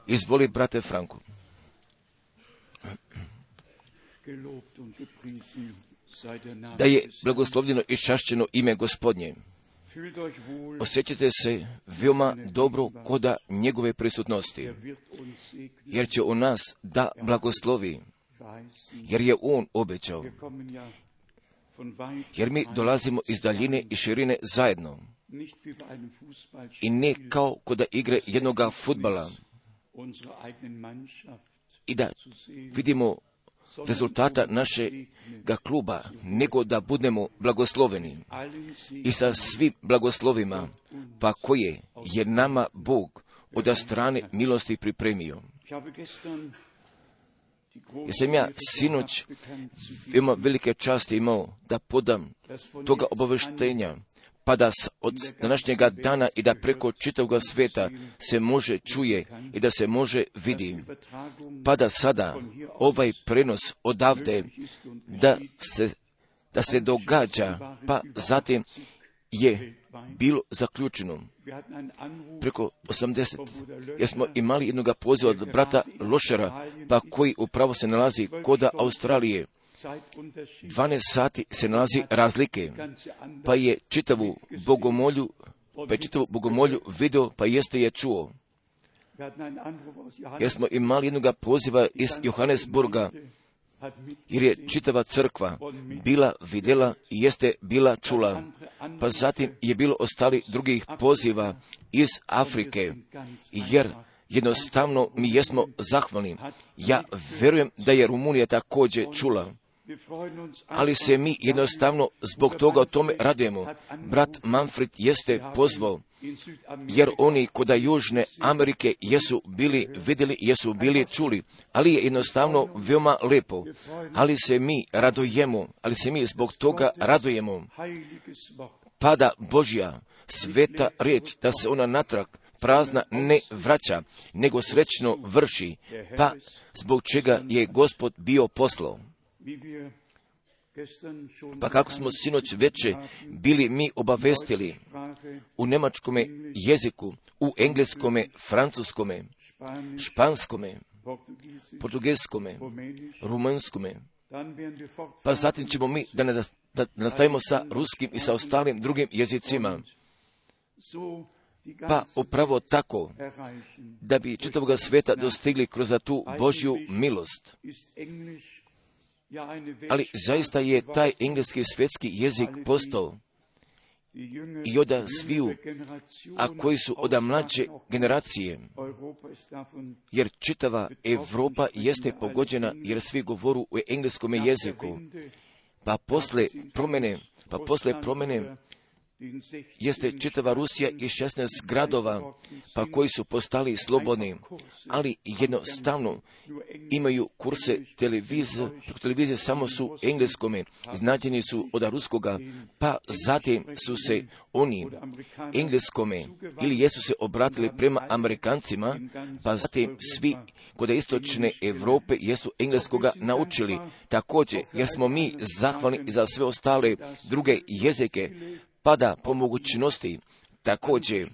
Izvoli, brate Franko. Da je blagoslovljeno i čašćeno ime Gospodnje. Osjećate se veoma dobro koda njegove prisutnosti, jer će on nas da blagoslovi, jer je on obećao. Jer mi dolazimo iz daljine i širine zajedno. I ne kao koda igre jednoga fudbala. I da vidimo rezultata našega kluba, nego da budemo blagosloveni. I sa svim blagoslovima, pa koje je nama Bog od strane milosti pripremio. Jer sam ja sinoć veoma velike časti imao da podam toga obaveštenja, pa da od današnjega dana i da preko čitavog sveta se može čuje i da se može vidi, pa da sada ovaj prenos odavde da se događa, pa zatim je bilo zaključeno preko 80, jer smo imali jednog poziva od brata Lošera, pa koji upravo se nalazi koda Australije. 12 sati se nalazi razlike, pa je čitavu bogomolju video, pa jeste je čuo. Jer smo imali jednog poziva iz Johannesburga, jer je čitava crkva bila vidjela i jeste bila čula. Pa zatim je bilo ostali drugih poziva iz Afrike, jer jednostavno mi jesmo zahvalni. Ja verujem da je Rumunija također čula, ali se mi jednostavno zbog toga o tome radujemo. Brat Manfred jeste pozvao, jer oni koda Južne Amerike jesu bili vidjeli, jesu bili čuli, ali je jednostavno veoma lepo. Ali se mi radujemo, ali se mi zbog toga radujemo. Pada Božja sveta riječ, da se ona natrag prazna ne vraća, nego srećno vrši, pa zbog čega je Gospod bio poslao. Pa kako smo sinoć veče bili mi obavestili u njemačkome jeziku, u engleskome, francuskome, španskome, portugelskome, rumunskome, pa zatim ćemo mi da nastavimo sa ruskim i sa ostalim drugim jezicima. Pa upravo tako, da bi čitavog sveta dostigli kroz tu Božju milost. Ali zaista je taj engleski svjetski jezik postao i od sviju, a koji su od mlađe generacije, jer čitava Evropa jeste pogođena, jer svi govoru u engleskom jeziku. Pa posle promjene jeste čitava Rusija i 16 gradova, pa koji su postali slobodni, ali jednostavno imaju kurse televizije samo su engleskome, iznađeni su od ruskoga, pa zatim su se oni engleskome ili jesu se obratili prema Amerikancima, pa zatim svi kod istočne Evrope jesu engleskoga naučili. Također, jer smo mi zahvalni za sve ostale druge jezike, pa da po mogućnosti također,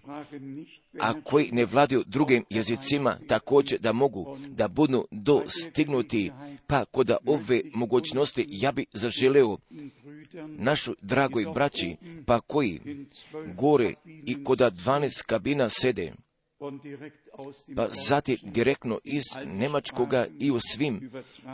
a koji ne vladaju drugim jezicima, također da mogu da budu dostignuti, pa kod ove mogućnosti ja bi zaželeo našu dragoj braći, pa koji gore i kod 12 kabina sede, pa zatim direktno iz njemačkoga i u svim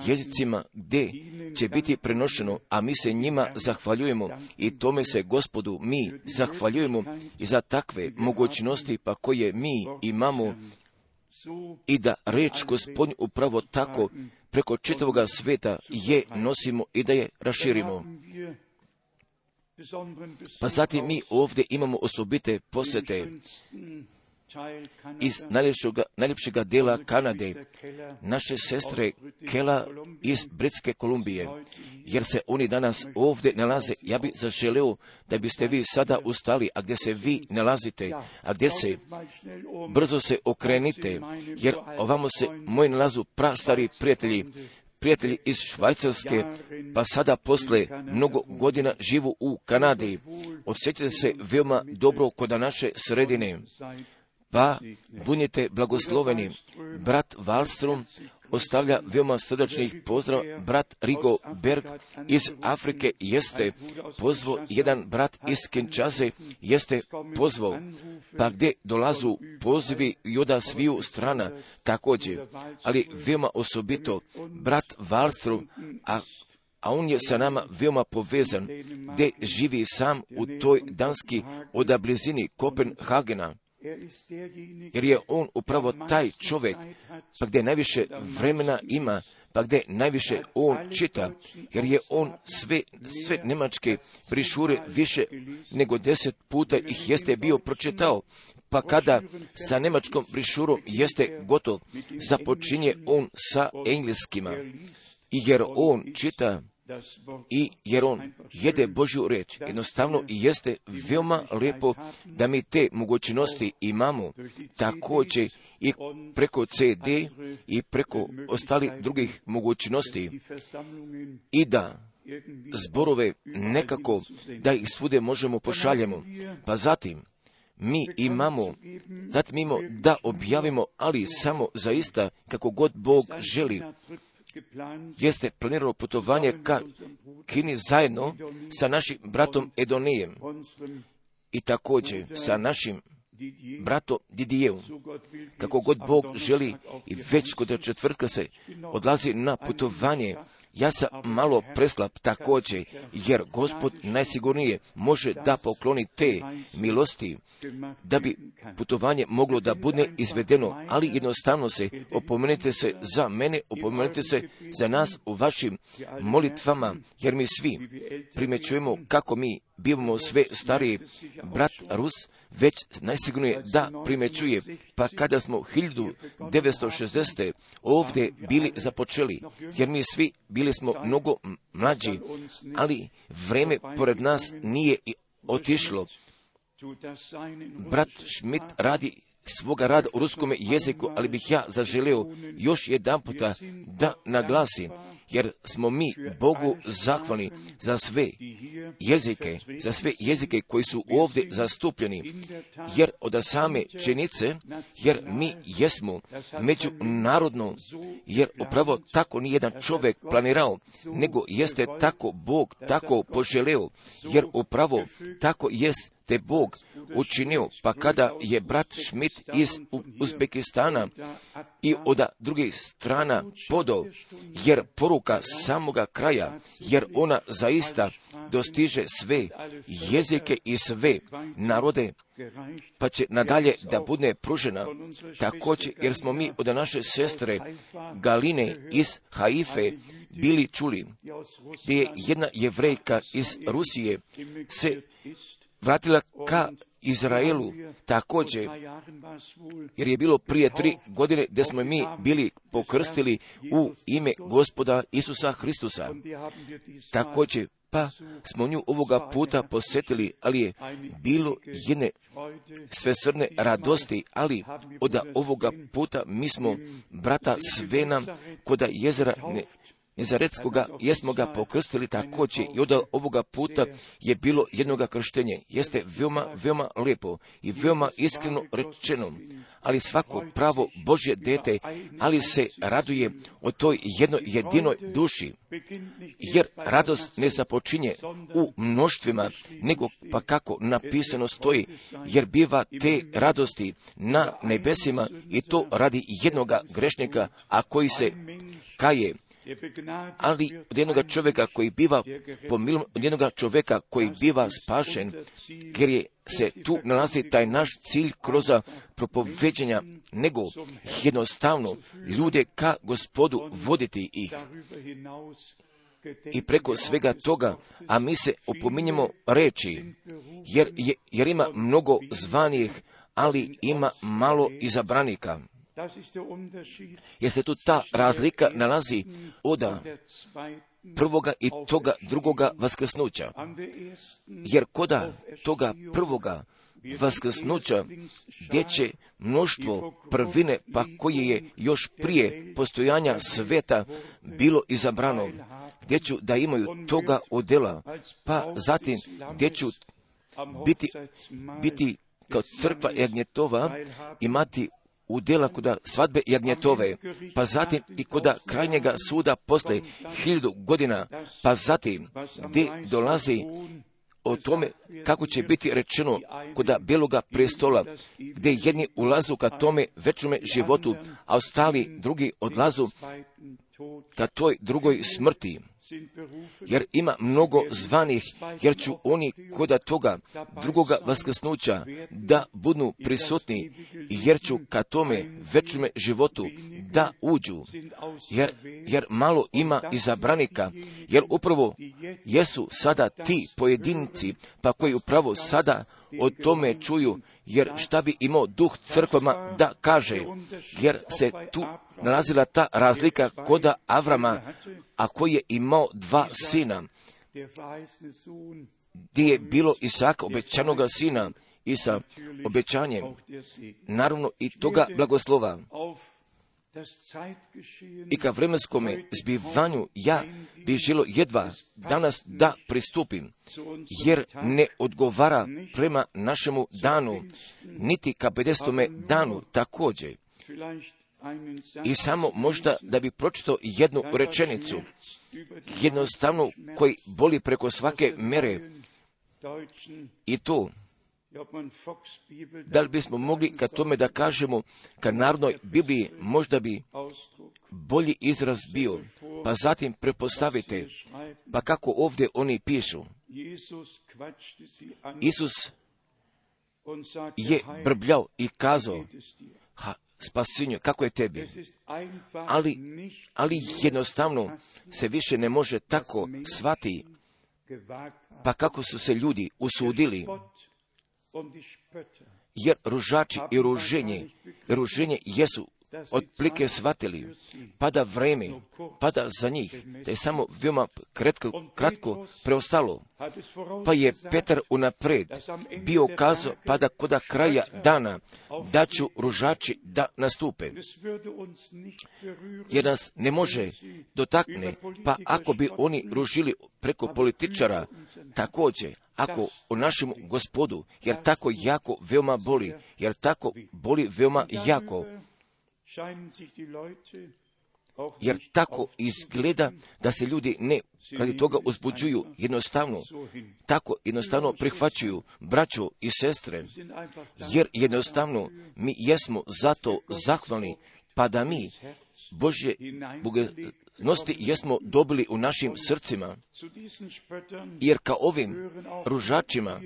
jezicima gdje će biti prenošeno, a mi se njima zahvaljujemo i tome se Gospodu mi zahvaljujemo i za takve mogućnosti pa koje mi imamo i da reč Gospodnju upravo tako preko čitavog sveta je nosimo i da je raširimo. Pa zatim mi ovdje imamo osobite posjete iz najljepšega dela Kanade, naše sestre Kela iz Britske Kolumbije, jer se oni danas ovdje nalaze. Ja bih zaželeo da biste vi sada ustali, a gdje se vi nalazite, a gdje se, brzo se okrenite, jer ovamo se moji nalazu prastari prijatelji iz Švajcarske, pa sada posle mnogo godina živu u Kanadi. Osjećate se veoma dobro kod naše sredine, pa budite blagosloveni. Brat Wallström ostavlja veoma srdačnih pozdrav. Brat Rigo Berg iz Afrike jeste pozvao, jedan brat iz Kinshase jeste pozvao, pa gdje dolazu pozivi i od sviju strana također, ali veoma osobito brat Wallström, a on je sa nama veoma povezan, gdje živi sam u toj Danski od blizini Kopenhagena, jer je on upravo taj čovjek, pa gdje najviše vremena ima, pa gdje najviše on čita, jer je on sve njemačke brišure više nego 10 puta ih jeste bio pročitao, pa kada sa njemačkom brišurom jeste gotov, započinje on sa engleskima, i jer on čita i jer on jede Božju riječ. Jednostavno jeste veoma lijepo da mi te mogućnosti imamo, također i preko CD i preko ostalih drugih mogućnosti, i da zborove nekako da ih svude možemo pošaljemo. Pa zatim mi imamo da objavimo, ali samo zaista kako god Bog želi. Jeste planirano putovanje ka Kini zajedno sa našim bratom Edonijem i također sa našim bratom Didijevom. Kako god Bog želi, i već kod četvrtka se odlazi na putovanje. Ja sam malo preslab također, jer Gospod najsigurnije može da pokloni te milosti, da bi putovanje moglo da bude izvedeno, ali jednostavno se opomenite se za mene, opomenite se za nas u vašim molitvama, jer mi svi primjećujemo kako mi bivamo sve stariji. Brat Rus već najsigurnije da primjećuje, pa kada smo 1960. ovdje bili započeli, jer mi svi bili smo mnogo mlađi, ali vreme pored nas nije otišlo. Brat Schmidt radi svoga rada u ruskom jeziku, ali bih ja zaželio još jedan puta da naglasim, jer smo mi Bogu zahvalni za sve jezike koji su ovdje zastupljeni, jer od same činjenice, jer mi jesmo međunarodno, jer upravo tako nijedan čovjek planirao, nego jeste tako Bog tako poželeo, jer upravo tako jest te Bog učinio, pa kada je brat Schmidt iz Uzbekistana i od drugih strana podao, jer poruka samoga kraja, jer ona zaista dostiže sve jezike i sve narode, pa će nadalje da bude pružena. Također, jer smo mi od naše sestre Galine iz Haife bili čuli, gdje je jedna Jevrejka iz Rusije se vratila ka Izraelu također, jer je bilo prije 3 godine gdje smo mi bili pokrstili u ime Gospoda Isusa Hristusa. Također, pa smo nju ovoga puta posjetili, ali je bilo jedne svesrdne radosti, ali od ovoga puta mi smo brata Svena kod jezera Nezaretskoga jesmo ga pokrstili također, i od ovoga puta je bilo jednoga krštenje. Jeste veoma lijepo i veoma iskreno rečeno, ali svako pravo Božje dete, ali se raduje o toj jednoj jedinoj duši, jer radost ne započinje u mnoštvima, nego pa kako napisano stoji, jer biva te radosti na nebesima, i to radi jednoga grešnika, a koji se kaje. Ali od jednoga čovjeka koji biva pomilovan, od jednoga čovjeka koji biva spašen, jer se tu nalazi taj naš cilj kroz propoveđenja, nego jednostavno ljude ka Gospodu voditi ih. I preko svega toga, a mi se opominjemo reći, jer ima mnogo zvanih, ali ima malo izabranika. Jer se tu ta razlika nalazi od prvoga i toga drugoga vaskrsnuća. Jer koda toga prvoga vaskrsnuća, gdje će mnoštvo prvine, pa koje je još prije postojanja sveta bilo izabrano, gdje ću da imaju toga odela, pa zatim gdje ću biti kao crkva jagnjetova imati udjela koda svadbe jagnjetove, pa zatim i koda krajnjega suda posle 1000 godina, pa zatim gdje dolazi o tome kako će biti rečeno koda Bjeloga prestola, gdje jedni ulazu ka tome večnome životu, a ostali drugi odlazu ka toj drugoj smrti. Jer ima mnogo zvanih, jer ću oni koda toga drugoga vaskrsnuća da budu prisutni, jer ću ka tome večnome životu da uđu. Jer malo ima izabranika, jer upravo jesu sada ti pojedinci, pa koji upravo sada o tome čuju, jer šta bi imao duh crkvama da kaže, jer se tu nalazila ta razlika koda Avrama, a koji je imao 2 sina, gdje je bilo Isaka, obećanoga sina, i sa obećanjem, naravno i toga blagoslova. I ka vremenskome zbivanju ja bi želo jedva danas da pristupim, jer ne odgovara prema našemu danu, niti ka 50. danu također. I samo možda da bi pročitao jednu rečenicu, jednostavno koji boli preko svake mere, i to, da li bismo mogli ka tome da kažemo, ka Narodnoj Bibliji možda bi bolji izraz bio, pa zatim prepostavite, pa kako ovdje oni pišu. Isus je brbljao i kazao, spasinju, kako je tebi? Ali jednostavno se više ne može tako shvati, pa kako su se ljudi usudili, jer ružači i ruženje jesu otplike shvatili, pada vreme, pada za njih, da je samo veoma kratko preostalo. Pa je Petar unapred bio kazao, pa da koda kraja dana da ću ružači da nastupe. Jer nas ne može dotakne, pa ako bi oni ružili preko političara, također, ako o našem Gospodu, jer tako jako veoma boli, jer tako boli veoma jako, jer tako izgleda da se ljudi ne radi toga uzbuđuju, tako jednostavno prihvaćaju braću i sestre, jer jednostavno mi jesmo zato zahvalni, pa da mi Božje bogoznosti jesmo dobili u našim srcima, jer ka ovim ružačima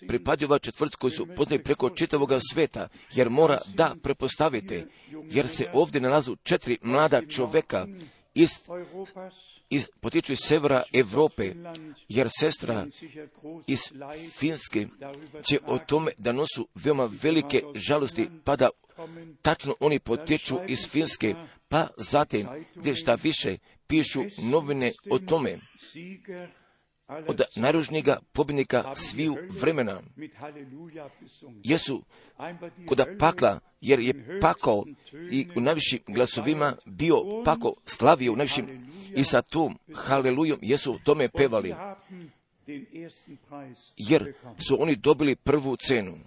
pripadaju ova četvrt koji su poznati preko čitavoga sveta, jer mora da prepostavite, jer se ovdje nalazu 4 mlada čoveka potiču iz severa Evrope, jer sestra iz Finske će o tome da nosu veoma velike žalosti, pa da tačno oni potiču iz Finske, pa zatim gdje šta više pišu novine o tome, od najružnijega pobjednika sviju vremena, jesu koda pakla, jer je pakao i u najvišim glasovima bio pakao, slavio u najvišim, i sa tom halelujom jesu o tome pevali, jer su oni dobili prvu cenu.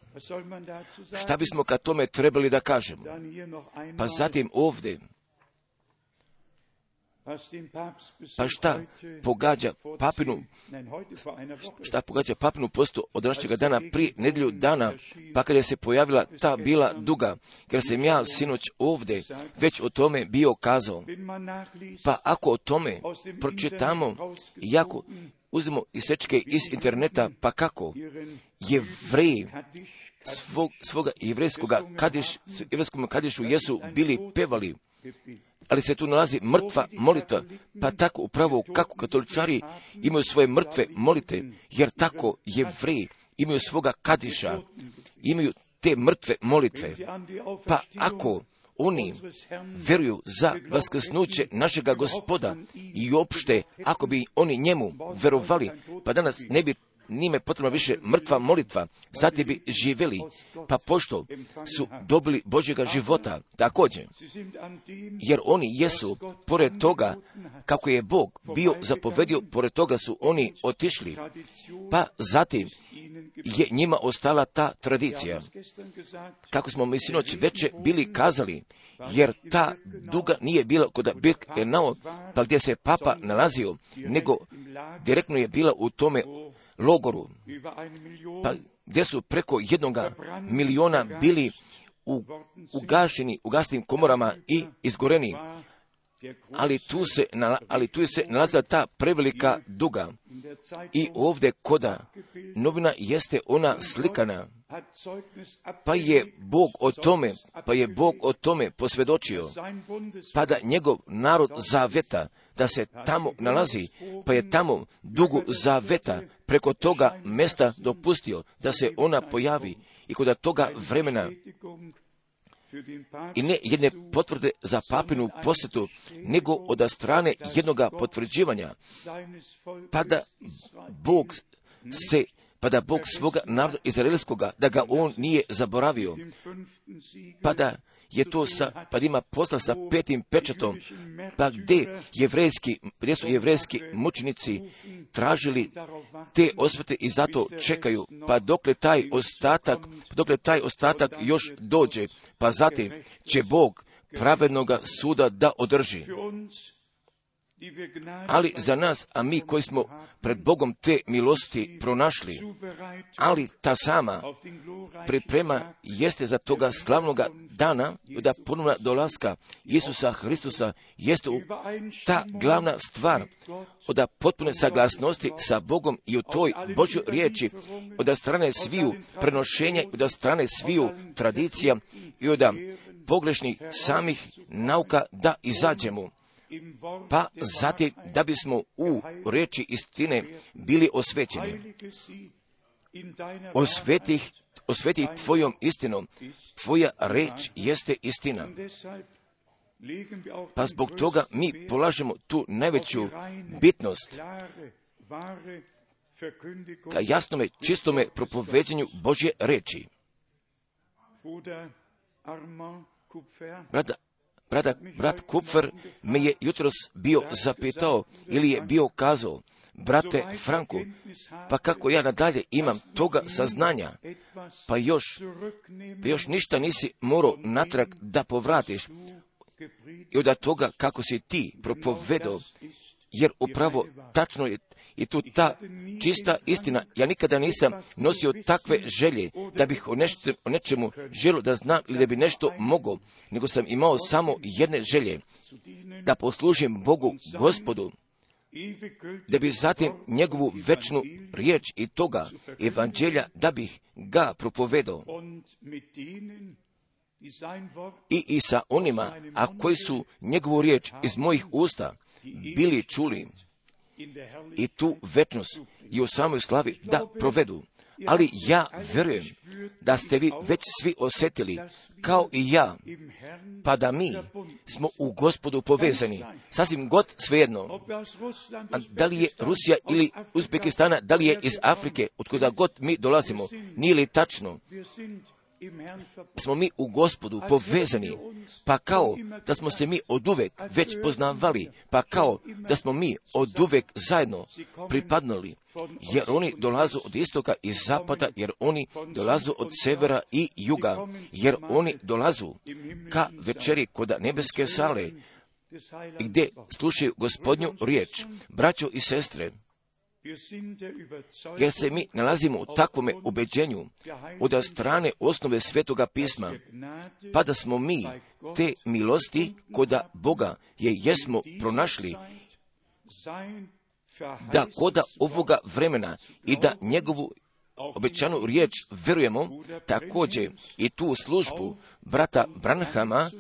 Šta bismo ka tome trebali da kažemo? Pa zatim ovdje, pa šta pogađa papinu postu od današnjega dana prije nedjelju dana, pa kada se pojavila ta bila duga, jer sam ja sinoć ovdje već o tome bio kazao. Pa ako o tome pročitamo, i ako uzmemo isečke iz interneta, pa kako Jevreji svoga jevrejskoga kadišu jesu bili pevali, ali se tu nalazi mrtva molitva, pa tako upravo kako katoličari imaju svoje mrtve molite, jer tako Jevreji imaju svoga kadiša, imaju te mrtve molitve. Pa ako oni vjeruju za vaskrsnuće našega Gospoda i uopšte ako bi oni njemu verovali, pa danas ne bi njime potrebna više mrtva molitva, zatim bi živjeli, pa pošto su dobili Božjega života, također, jer oni jesu, pored toga, kako je Bog bio zapovedio, pored toga su oni otišli, pa zatim je njima ostala ta tradicija. Kako smo mi sinoć veče bili kazali, jer ta duga nije bila kod Birkenau, pa gdje se papa nalazio, nego direktno je bila u tome logoru, pa gdje su preko 1 miliona bili ugašeni u gasnim komorama i izgoreni. Ali tu se nalazila ta prevelika duga. I ovdje koda novina jeste ona slikana, pa je Bog o tome posvjedočio, pa da njegov narod zaveta, da se tamo nalazi, pa je tamo dugu zaveta preko toga mjesta dopustio da se ona pojavi i kod toga vremena. I ne jedne potvrde za papinu posjetu, nego od strane jednoga potvrđivanja, pa da Bog svoga naroda izraelskoga, da ga on nije zaboravio, pa da je to pa da ima posla sa 5. pečatom, pa gdje su jevrejski mučenici tražili te osvete i zato čekaju, pa dokle taj ostatak još dođe, pa zatim će Bog pravednoga suda da održi. Ali za nas, a mi koji smo pred Bogom te milosti pronašli, ali ta sama priprema jeste za toga slavnoga dana, da ponovna dolaska Isusa Hristusa jeste ta glavna stvar od potpune saglasnosti sa Bogom i u toj Božjoj riječi, od strane sviju prenošenja, od strane sviju tradicija i od pogrešnih samih nauka da izađemo. Pa zatim da bismo u riječi istine bili osvećeni. Osveti tvojom istinom, tvoja riječ jeste istina. Pa zbog toga mi polažemo tu najveću bitnost ka jasnome, čistome propoveđenju Božje riječi. Brat Kupfer me je jutros bio zapitao ili je bio kazao, brate Franku, pa kako ja nadalje imam toga saznanja, pa još ništa nisi morao natrag da povratiš i od toga kako si ti propovedao, jer upravo tačno je i tu ta čista istina. Ja nikada nisam nosio takve želje da bih o nečemu želio da znam ili da bi nešto mogao, nego sam imao samo jedne želje, da poslužim Bogu Gospodu, da bi zatim njegovu večnu riječ i toga evanđelja da bih ga propovedao. I sa onima, a koji su njegovu riječ iz mojih usta bili čuli, i tu večnost i u samoj slavi da provedu. Ali ja vjerujem da ste vi već svi osjetili, kao i ja, pa da mi smo u Gospodu povezani. Sasvim god svejedno, da li je Rusija ili Uzbekistana, da li je iz Afrike, otkuda god mi dolazimo, nije li tačno? Smo mi u Gospodu povezani, pa kao da smo se mi oduvek već poznavali, pa kao da smo mi oduvek zajedno pripadnuli, jer oni dolazu od istoka i zapada, jer oni dolazu od severa i juga, jer oni dolazu ka večeri kod nebeske sale, gdje slušaju Gospodnju riječ. Braćo i sestre, jer se mi nalazimo u takvome ubeđenju od strane osnove Svetoga pisma, pa da smo mi te milosti koda Boga jesmo pronašli, da koda ovoga vremena i da njegovu obećanu riječ vjerujemo, također i tu službu brata Branhama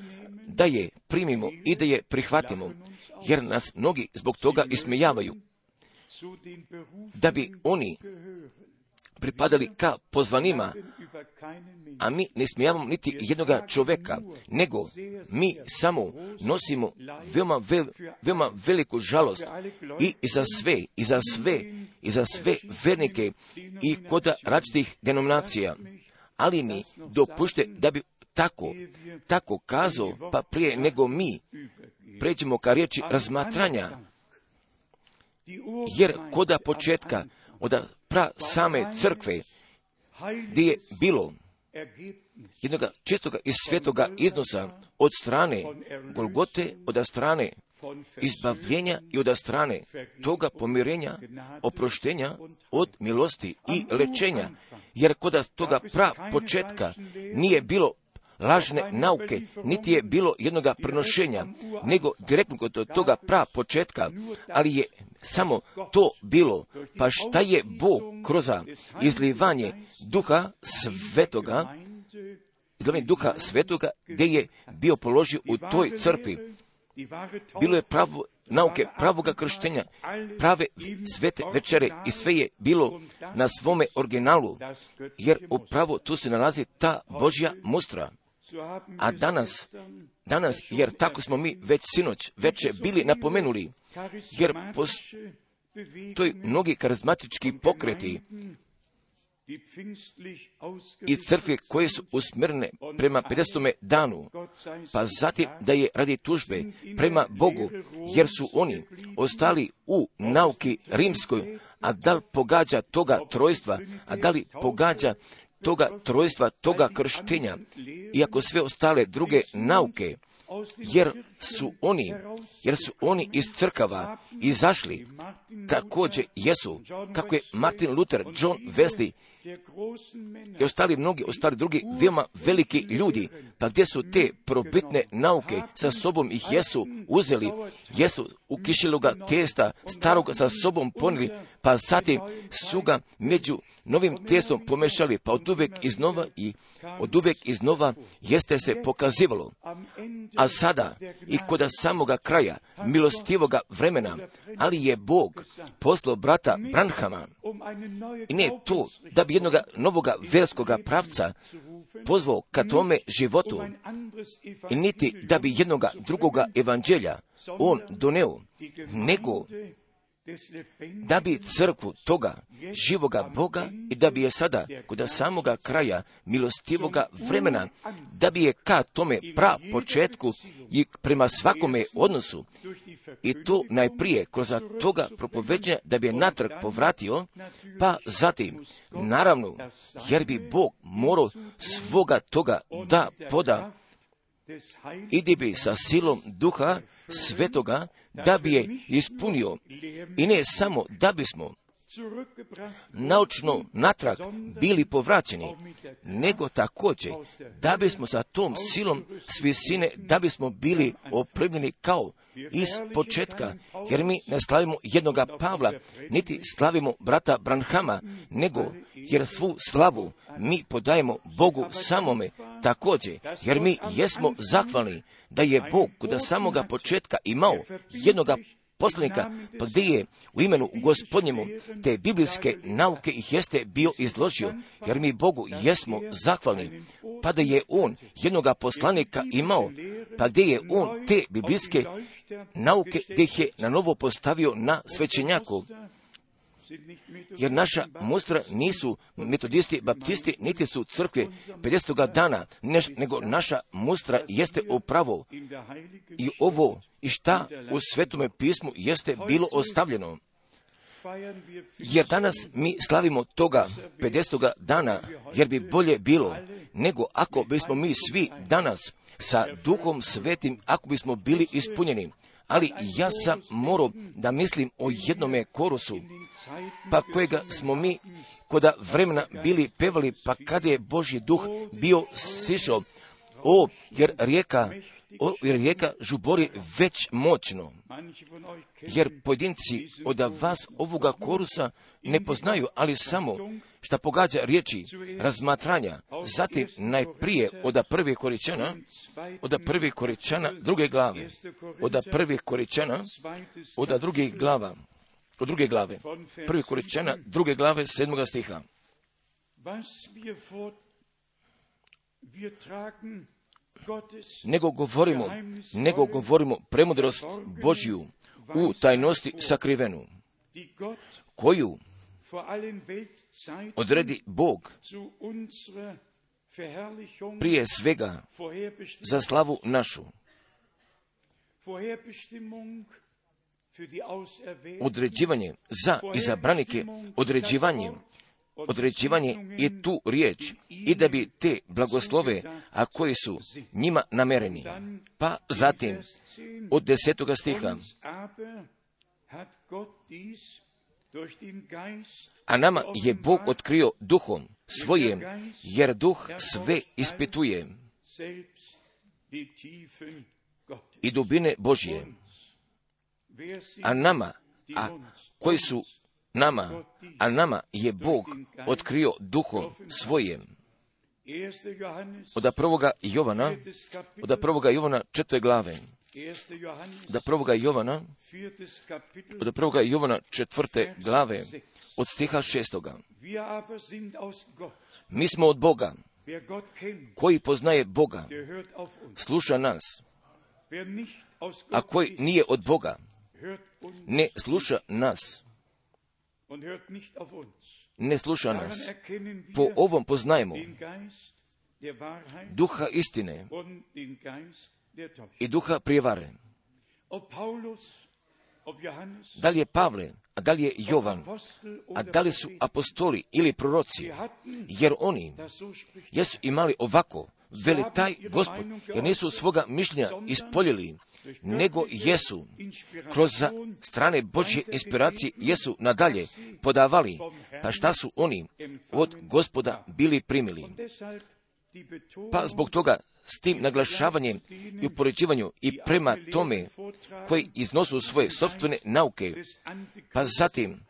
da je primimo i da je prihvatimo, jer nas mnogi zbog toga ismijavaju, da bi oni pripadali ka pozvanima, a mi ne smijavamo niti jednoga čoveka, nego mi samo nosimo veoma veliku žalost i za sve vernike i kod različitih denominacija. Ali mi dopušte da bi tako kazao, pa prije nego mi pređemo ka riječi razmatranja, jer koda početka, od same crkve, gdje je bilo jednog čistoga i svetoga iznosa od strane Golgote, od strane izbavljenja i od strane toga pomirenja, oproštenja od milosti i lečenja, jer kod toga početka nije bilo lažne nauke, niti je bilo jednoga prenošenja, nego direktno kod toga početka, ali je samo to bilo. Pa šta je Bog kroz izlivanje Duha Svetoga, gdje je bio položio u toj crkvi? Bilo je nauke pravoga krštenja, prave svete večere i sve je bilo na svome originalu, jer upravo tu se nalazi ta Božja mustra. A danas, jer tako smo mi već sinoć veče bili napomenuli, jer postoji mnogi karizmatički pokreti i crkve koje su usmjerene prema 50. danu, pa zatim da je radi tužbe prema Bogu, jer su oni ostali u nauki rimskoj, a da li pogađa toga trojstva, a da li pogađa toga trojstva, toga krštenja, iako sve ostale druge nauke, jer su oni iz crkava izašli, također jesu, kako je Martin Luther, John Wesley i ostali drugi veoma veliki ljudi, pa gdje su te probitne nauke sa sobom ih jesu uzeli, jesu u kišeloga testa staroga sa sobom ponijeli, pa zatim su ga među novim testom pomešali, pa od uvijek iznova jeste se pokazivalo. A sada i kod samoga kraja milostivoga vremena, ali je Bog poslao brata Branhama, i ne to da bi jednoga novoga verskoga pravca pozvao ka tome životu, i niti da bi jednoga drugoga evanđelja on doneo, nego da bi crkvu toga živoga Boga i da bi je sada kod samoga kraja milostivoga vremena, da bi je ka tome početku i prema svakome odnosu, i to najprije kroz toga propoveđenja da bi je natrag povratio, pa zatim, naravno, jer bi Bog morao svoga toga da poda, i bi sa silom Duha Svetoga da bi je ispunio, i ne samo da bismo naučno natrag bili povraćeni, nego također da bismo sa tom silom s visine, da bismo bili opremljeni kao iz početka, jer mi ne slavimo jednoga Pavla, niti slavimo brata Branhama, nego jer svu slavu mi podajemo Bogu samome također, jer mi jesmo zahvalni da je Bog kod samoga početka imao jednoga poslanika, pa gdje je u imenu Gospodnjemu te biblijske nauke ih jeste bio izložio, jer mi Bogu jesmo zahvalni, pa da je on jednoga poslanika imao, pa gdje je on te biblijske nauke gdje ih je na novo postavio na svećenjaku. Jer naša mustra nisu metodisti, baptisti, niti su crkve 50. dana, nego naša mustra jeste upravo i ovo i šta u Svetome pismu jeste bilo ostavljeno. Jer danas mi slavimo toga 50. dana, jer bi bolje bilo nego ako bismo mi svi danas sa Duhom Svetim, ako bismo bili ispunjeni. Ali ja sam morao da mislim o jednome korusu, pa kojega smo mi koda vremena bili pevali, pa kada je Božji duh bio sišao, jer rijeka žubori već moćno. Jer pojedinci od vas ovoga korusa ne poznaju, ali samo šta pogađa riječi razmatranja, zatim najprije od prvih Koričana druge glave, od druge glave, prvi Koričana druge glave 7. stiha. nego govorimo premudrost Božju u tajnosti sakrivenu, koju odredi Bog prije svega za slavu našu. Određivanje za izabranike, određivanje je tu riječ i da bi te blagoslove, a koji su njima namereni. Pa zatim od 10. stiha, a nama je Bog otkrio duhom svojim, jer duh sve ispituje i dubine Božje. A nama je Bog otkrio duhom svojim. Od prvoga Jovana 4. glave. Od prvoga Jovana 4. glave, od stiha 6. Mi smo od Boga. Koji poznaje Boga, sluša nas. A koji nije od Boga, ne sluša nas. Ne sluša nas. Po ovom poznajemo duha istine i duha prijevare. Da li je Pavle, a da li je Jovan, a da li su apostoli ili proroci, jer oni jesu imali ovako, veli taj Gospod, jer nisu svoga mišljenja ispoljili, nego jesu kroz strane Božje inspiracije jesu nadalje podavali, pa šta su oni od Gospoda bili primili. Pa zbog toga s tim naglašavanjem i upoređivanju i prema tome koji iznosu svoje sopstvene nauke, pa zatim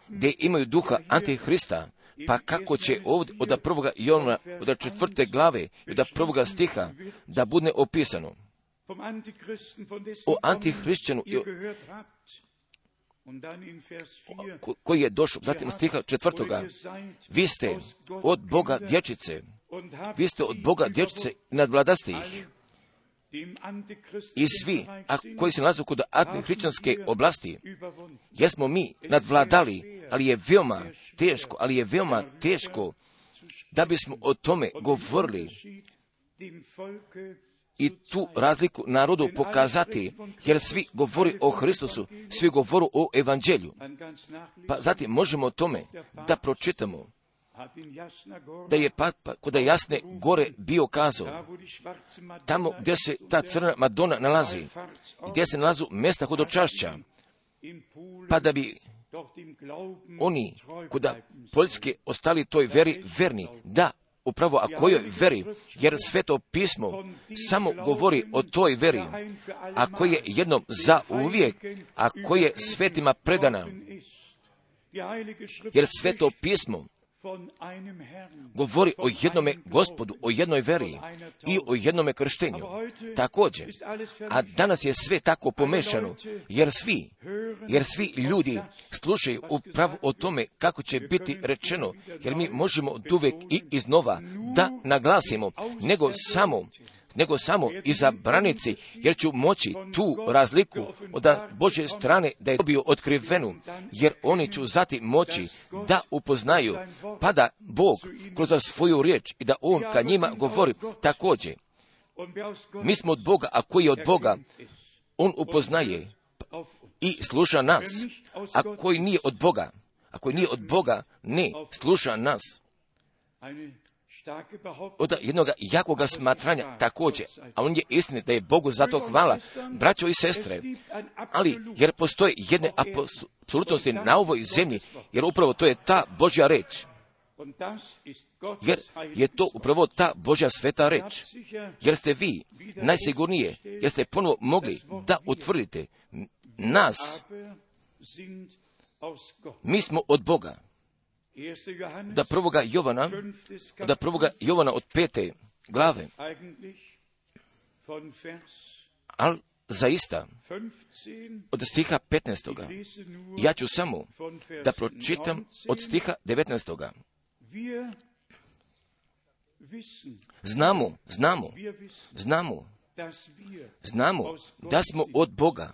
gdje imaju duha Antihrista, pa kako će ovdje od prvoga Jovana, od 4. glave i od 1. stiha da bude opisano o Antihrišćanu koji je došao, zatim stiha 4. Vi ste od Boga dječice, vi ste od Boga dječice i nadvladaste ih. I svi, a koji se nalaze kod antihrišćanske oblasti, jesmo mi nadvladali, ali je veoma teško da bismo o tome govorili i tu razliku narodu pokazati, jer svi govori o Hristusu, svi govori o evanđelju. Pa zatim možemo o tome da pročitamo da je kod Jasne gore bio kazao, tamo gdje se ta crna Madona nalazi, gdje se nalazu mjesta hodočašća, pa da bi oni kod Poljske ostali toj veri verni, da, upravo a kojoj veri, jer Sveto pismo samo govori o toj veri, a koje je jednom za uvijek, a koje je svetima predana, jer Sveto pismo govori o jednome Gospodu, o jednoj veri i o jednome krštenju. Također, a danas je sve tako pomešano, jer svi ljudi slušaju upravo o tome kako će biti rečeno, jer mi možemo oduvijek i iznova da naglasimo, nego samo izabranici, jer ću moći tu razliku od Božje strane da je dobio otkrivenu, jer oni ću zatim moći da upoznaju, pa da Bog kroz svoju riječ i da On ka njima govori također. Mi smo od Boga, a koji je od Boga, On upoznaje i sluša nas, a koji nije od Boga, ne sluša nas. Od jednog jakoga smatranja također, a on je istina da je Bogu za to hvala, braćo i sestre, ali jer postoje jedne apsolutnosti na ovoj zemlji, jer upravo to je ta Božja reč, jer je to upravo ta Božja sveta reč, jer ste vi najsigurnije, jer ste ponovo mogli da utvrdite nas, mi smo od Boga. Da prvoga Jovana od 5. glave, ali zaista od stiha 15. Ja ću samo da pročitam od stiha 19. Znamo da smo od Boga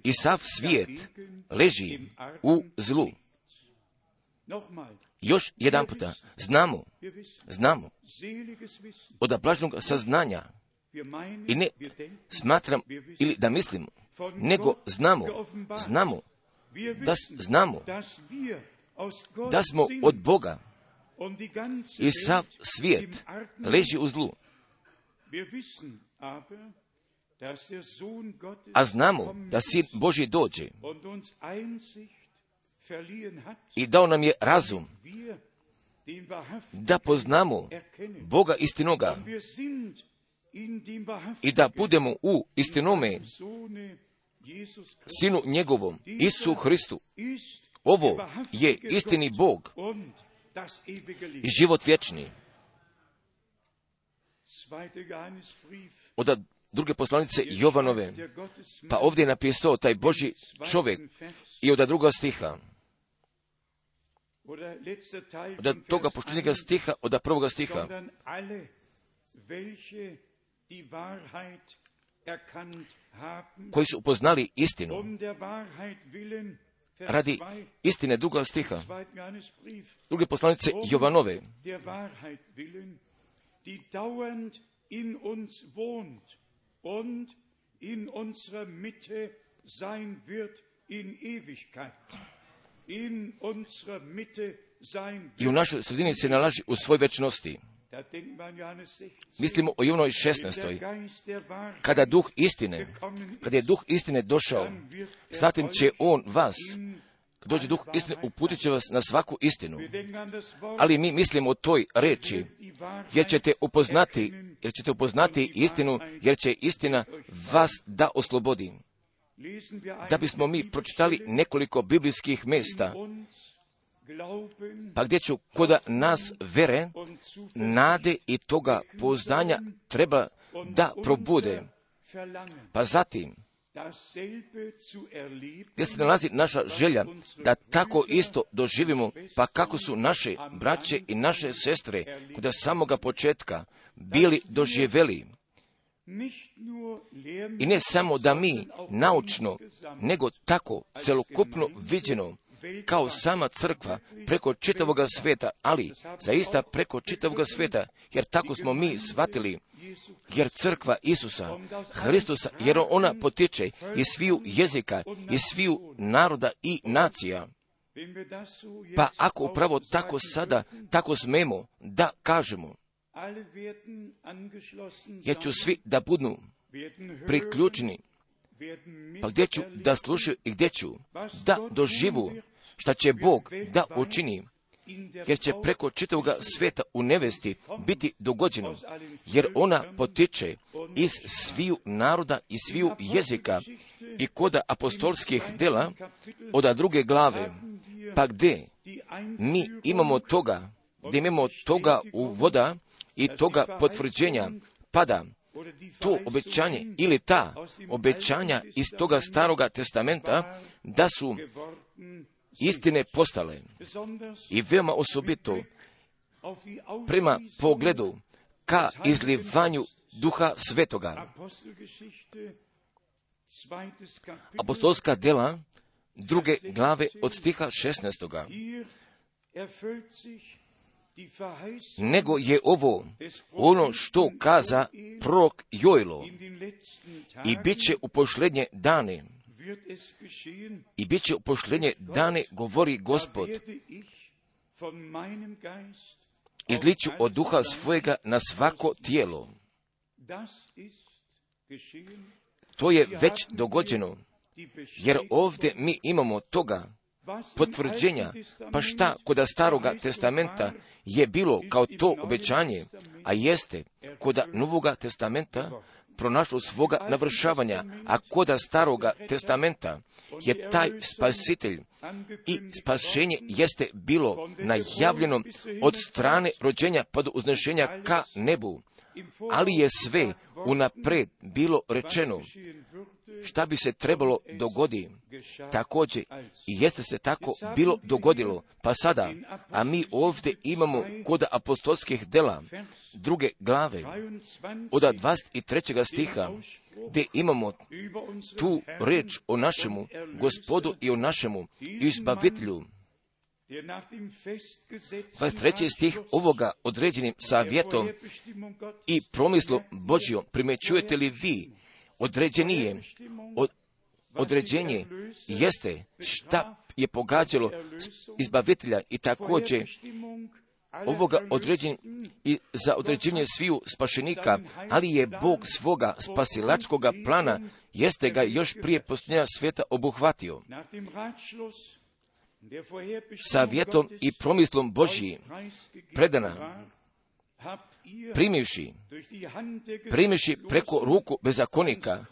i sav svijet leži u zlu. Još jedan puta, znamo od blaženog saznanja i ne smatram ili da mislim, nego znamo da smo od Boga i sav svijet leži u zlu. A znamo da Sin Božji dođe i dao nam je razum da poznamo Boga istinoga i da budemo u istinome Sinu njegovom, Isu Hristu. Ovo je istini Bog i život vječni. Od druge poslanice Jovanove, pa ovdje je napisao taj Božji čovjek i od druga stiha. Od toga poštenjega stiha, od prvoga stiha. Koji su upoznali istinu. Radi istine, druga stiha. Druge poslanice Jovanove. Und in unserer Mitte sein wird in Ewigkeit. In unserer Mitte sein wird. I u našoj sredini se nalazi u svoj večnosti. Mislimo o Jovanovoj 16. Kada je duh istine došao, zatim će on vas, kad dođe duh istine, uputit će vas na svaku istinu. Ali mi mislimo o toj reči, jer ćete upoznati istinu, jer će istina vas da oslobodi. Da bismo mi pročitali nekoliko biblijskih mjesta, pa gdje ću kod nas vere, nade i toga pouzdanja treba da probude. Pa zatim, gdje se nalazi naša želja da tako isto doživimo, pa kako su naše braće i naše sestre kod samoga početka bili doživjeli. I ne samo da mi naučno, nego tako celokupno viđeno, kao sama crkva preko čitavoga sveta, ali zaista preko čitavoga sveta, jer tako smo mi shvatili, jer crkva Isusa, Hristusa, jer ona potiče iz sviju jezika, iz sviju naroda i nacija. Pa ako upravo tako sada, tako smemo da kažemo, jer ću svi da budu priključeni, pa gdje ću da slušaju i gdje ću da doživu šta će Bog da učini, jer će preko čitavoga sveta u nevesti biti dogođeno, jer ona potiče iz sviju naroda i sviju jezika. I kod apostolskih dela od druge glave, pa gdje mi imamo toga uvoda i toga potvrđenja, pada to obećanje ili ta obećanja iz toga staroga testamenta da su istine postale. I veoma osobito prema pogledu ka izlivanju Duha Svetoga. Apostolska dela druge glave od stiha 16. Nego je ovo ono što kaza prorok Joel, i bit će u posljednje dane, govori Gospod, izliću od duha svojega na svako tijelo. To je već dogođeno, jer ovdje mi imamo toga potvrđenja. Pa šta kod staroga testamenta je bilo kao to obećanje, a jeste kod novoga testamenta pronašlo svoga navršavanja, a kod staroga testamenta je taj spasitelj i spašenje jeste bilo najavljeno od strane rođenja pa do uznešenja ka nebu. ali je sve unapred bilo rečeno šta bi se trebalo dogoditi. Također i jeste se tako bilo dogodilo. Pa sada, a mi ovdje imamo kod apostolskih dela 2. glave od 23. stiha, gdje imamo tu riječ o našemu Gospodu i o našemu izbavitelju. 23. stih ovoga određenim savjetom i promislom Božjom primjećujete li vi određenje jeste šta je pogađalo izbavitelja i također ovoga određenja i za određenje sviju spašenika, ali je Bog svoga spasilačkoga plana jeste ga još prije postojanja svijeta obuhvatio. Savjetom i promislom Božji predana, primivši preko ruku bezakonika,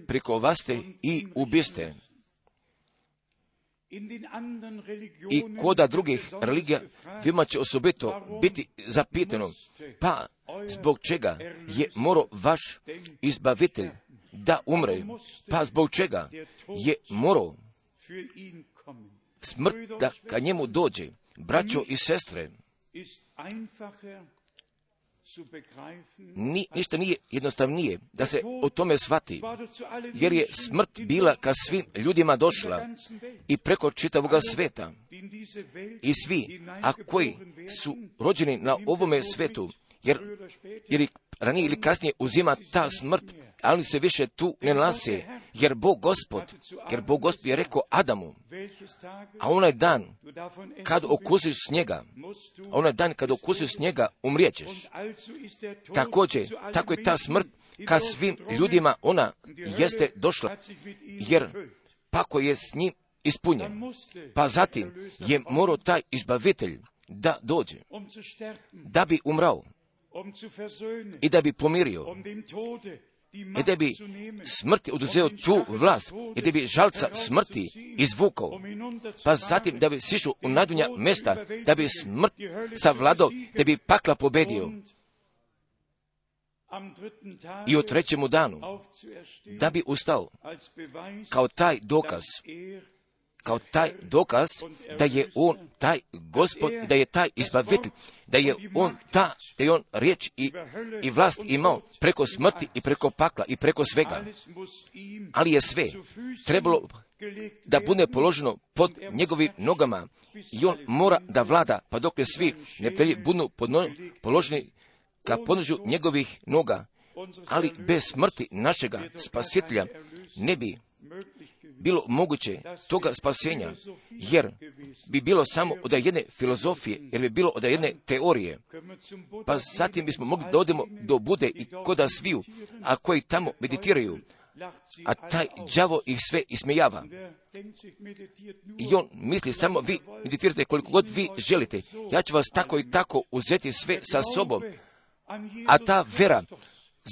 prikovaste i ubiste. I koda drugih religija vima će osobito biti zapitano, pa zbog čega je morao vaš izbavitelj da umre, pa zbog čega je morao smrt da ka njemu dođe. Braćo i sestre, ništa nije jednostavnije da se o tome shvati, jer je smrt bila ka svim ljudima došla i preko čitavoga sveta. I svi, a koji su rođeni na ovome svetu, jer ranije ili kasnije uzima ta smrt, ali se više tu ne nalaze, jer Bog Gospod je rekao Adamu, a onaj dan kad okusiš snijega, umrijećeš. Također, tako je ta smrt kad svim ljudima ona jeste došla, jer pako je s njim ispunjen. Pa zatim je morao taj izbavitelj da dođe, da bi umrao i da bi pomirio, i da bi smrti oduzeo tu vlast, i da bi žalca smrti izvukao, pa zatim da bi sišao u najdunja mjesta, da bi smrt savladao, da bi pakla pobedio. I u trećemu danu, da bi ustao kao taj dokaz da je on taj Gospod, da je taj izbavitelj, da je on riječ i vlast imao preko smrti i preko pakla i preko svega. Ali je sve trebalo da bude položeno pod njegovim nogama i on mora da vlada, pa dok svi neprijatelji budu položeni ka podnožju njegovih noga. Ali bez smrti našega spasitelja ne bi bilo moguće toga spasenja, jer bi bilo samo od jedne filozofije, jer bi bilo od jedne teorije. Pa zatim bismo mogli da odemo do Bude i koda sviju, a koji tamo meditiraju, a taj đavo ih sve ismejava. I on misli samo vi meditirate koliko god vi želite. Ja ću vas tako i tako uzeti sve sa sobom. A ta vera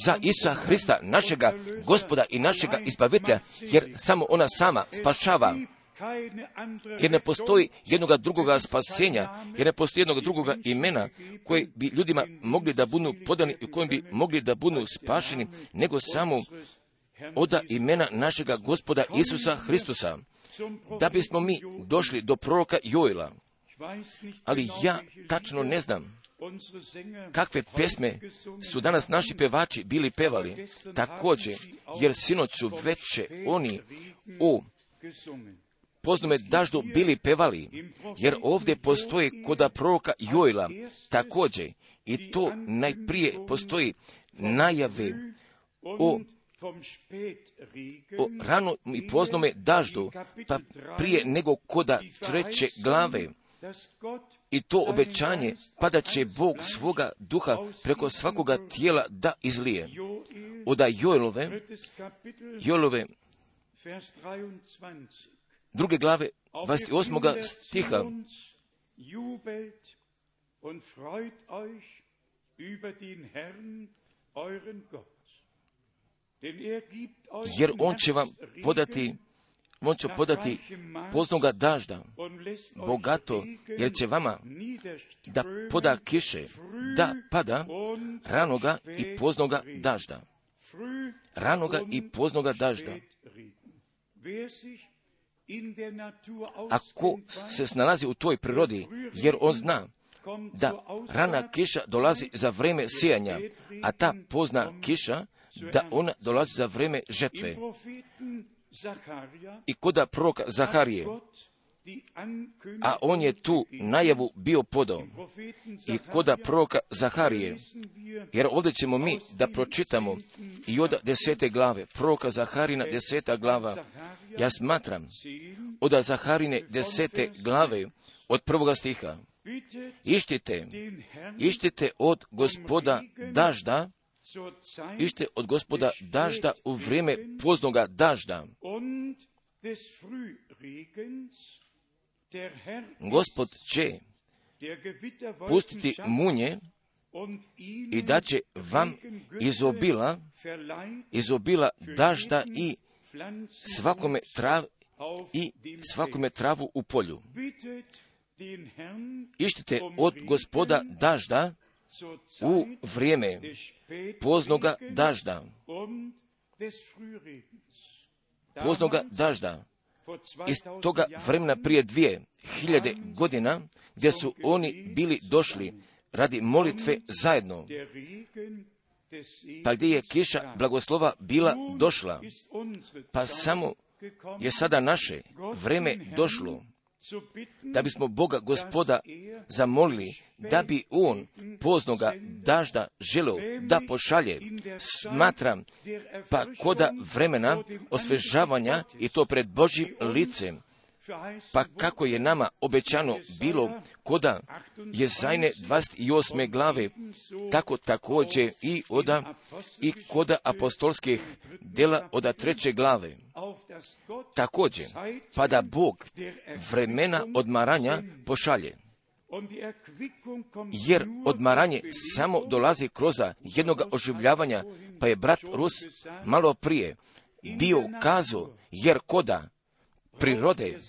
za Isusa Hrista, našega Gospoda i našega izbavitelja, jer samo ona sama spašava, jer ne postoji jednoga drugoga spasenja, jer ne postoji jednoga drugoga imena koje bi ljudima mogli da budu podani i kojim bi mogli da budu spašeni, nego samo oda imena našega Gospoda Isusa Hristusa, da bismo mi došli do proroka Joela. Ali ja tačno ne znam kakve pesme su danas naši pevači bili pevali, također, jer sinoć su veće oni u poznome daždu bili pevali, jer ovdje postoji koda proroka Joela također, i to najprije postoji najave o rano i poznome daždu, pa prije nego koda 3. glave. I to obećanje, pa da će Bog svoga duha preko svakoga tijela da izlije. Od Joelove 2. glave 28. stiha. Jer on će vam podati on će podati poznoga dažda, bogato, jer će vama da poda kiše, da pada ranoga i poznoga dažda. Ranoga i poznoga dažda. Ako se snalazi u toj prirodi, jer on zna da rana kiša dolazi za vreme sijanja, a ta pozna kiša da ona dolazi za vreme žetve. I koda proroka Zaharije, a on je tu najavu bio podao, i koda proroka Zaharije, jer ovdje ćemo mi da pročitamo i od 10. glave, proroka Zaharina 10. glava, ja smatram od Zaharine 10. glave, od 1. stiha, ištite od Gospoda dažda, ište od Gospoda dažda u vrijeme poznoga dažda. Gospod će pustiti munje i da će vam izobila dažda i svakome travu u polju. Ištite od Gospoda dažda u vrijeme poznoga dažda. Poznoga dažda. Iz toga vremena prije 2000 godina, gdje su oni bili došli radi molitve zajedno, pa gdje je kiša blagoslova bila došla, pa samo je sada naše vreme došlo, da bismo Boga Gospoda zamolili, da bi on poznoga dažda želio da pošalje. Smatram, pa koda vremena osvežavanja, i to pred Božjim licem, pa kako je nama obećano bilo koda Jezajne 28. glave, tako također i koda apostolskih dela od 3. glave. Također, pa da Bog vremena odmaranja pošalje. Jer odmaranje samo dolazi kroz jednog oživljavanja, pa je brat Rus malo prije bio kazao, jer koda prirode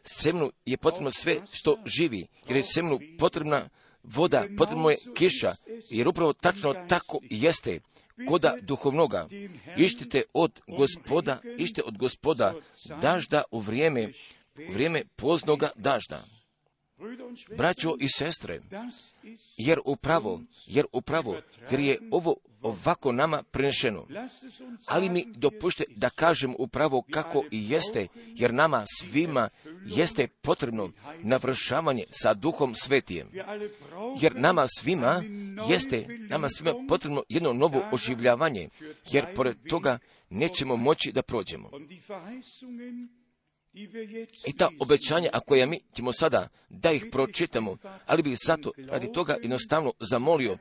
semnu je potrebno sve što živi, jer je semnu potrebna voda, potrebno je kiša, jer upravo tačno tako jeste koda duhovnoga. Ište od Gospoda dažda u vrijeme poznoga dažda. Braćo i sestre, jer je ovo ovako nama prenešeno. Ali mi dopušte da kažem upravo kako i jeste, jer nama svima jeste potrebno navršavanje sa Duhom Svetijem. Jer nama svima potrebno jedno novo oživljavanje, jer pored toga nećemo moći da prođemo. I ta obećanja, a koja mi ćemo sada da ih pročitamo, ali bih zato radi toga jednostavno zamolio,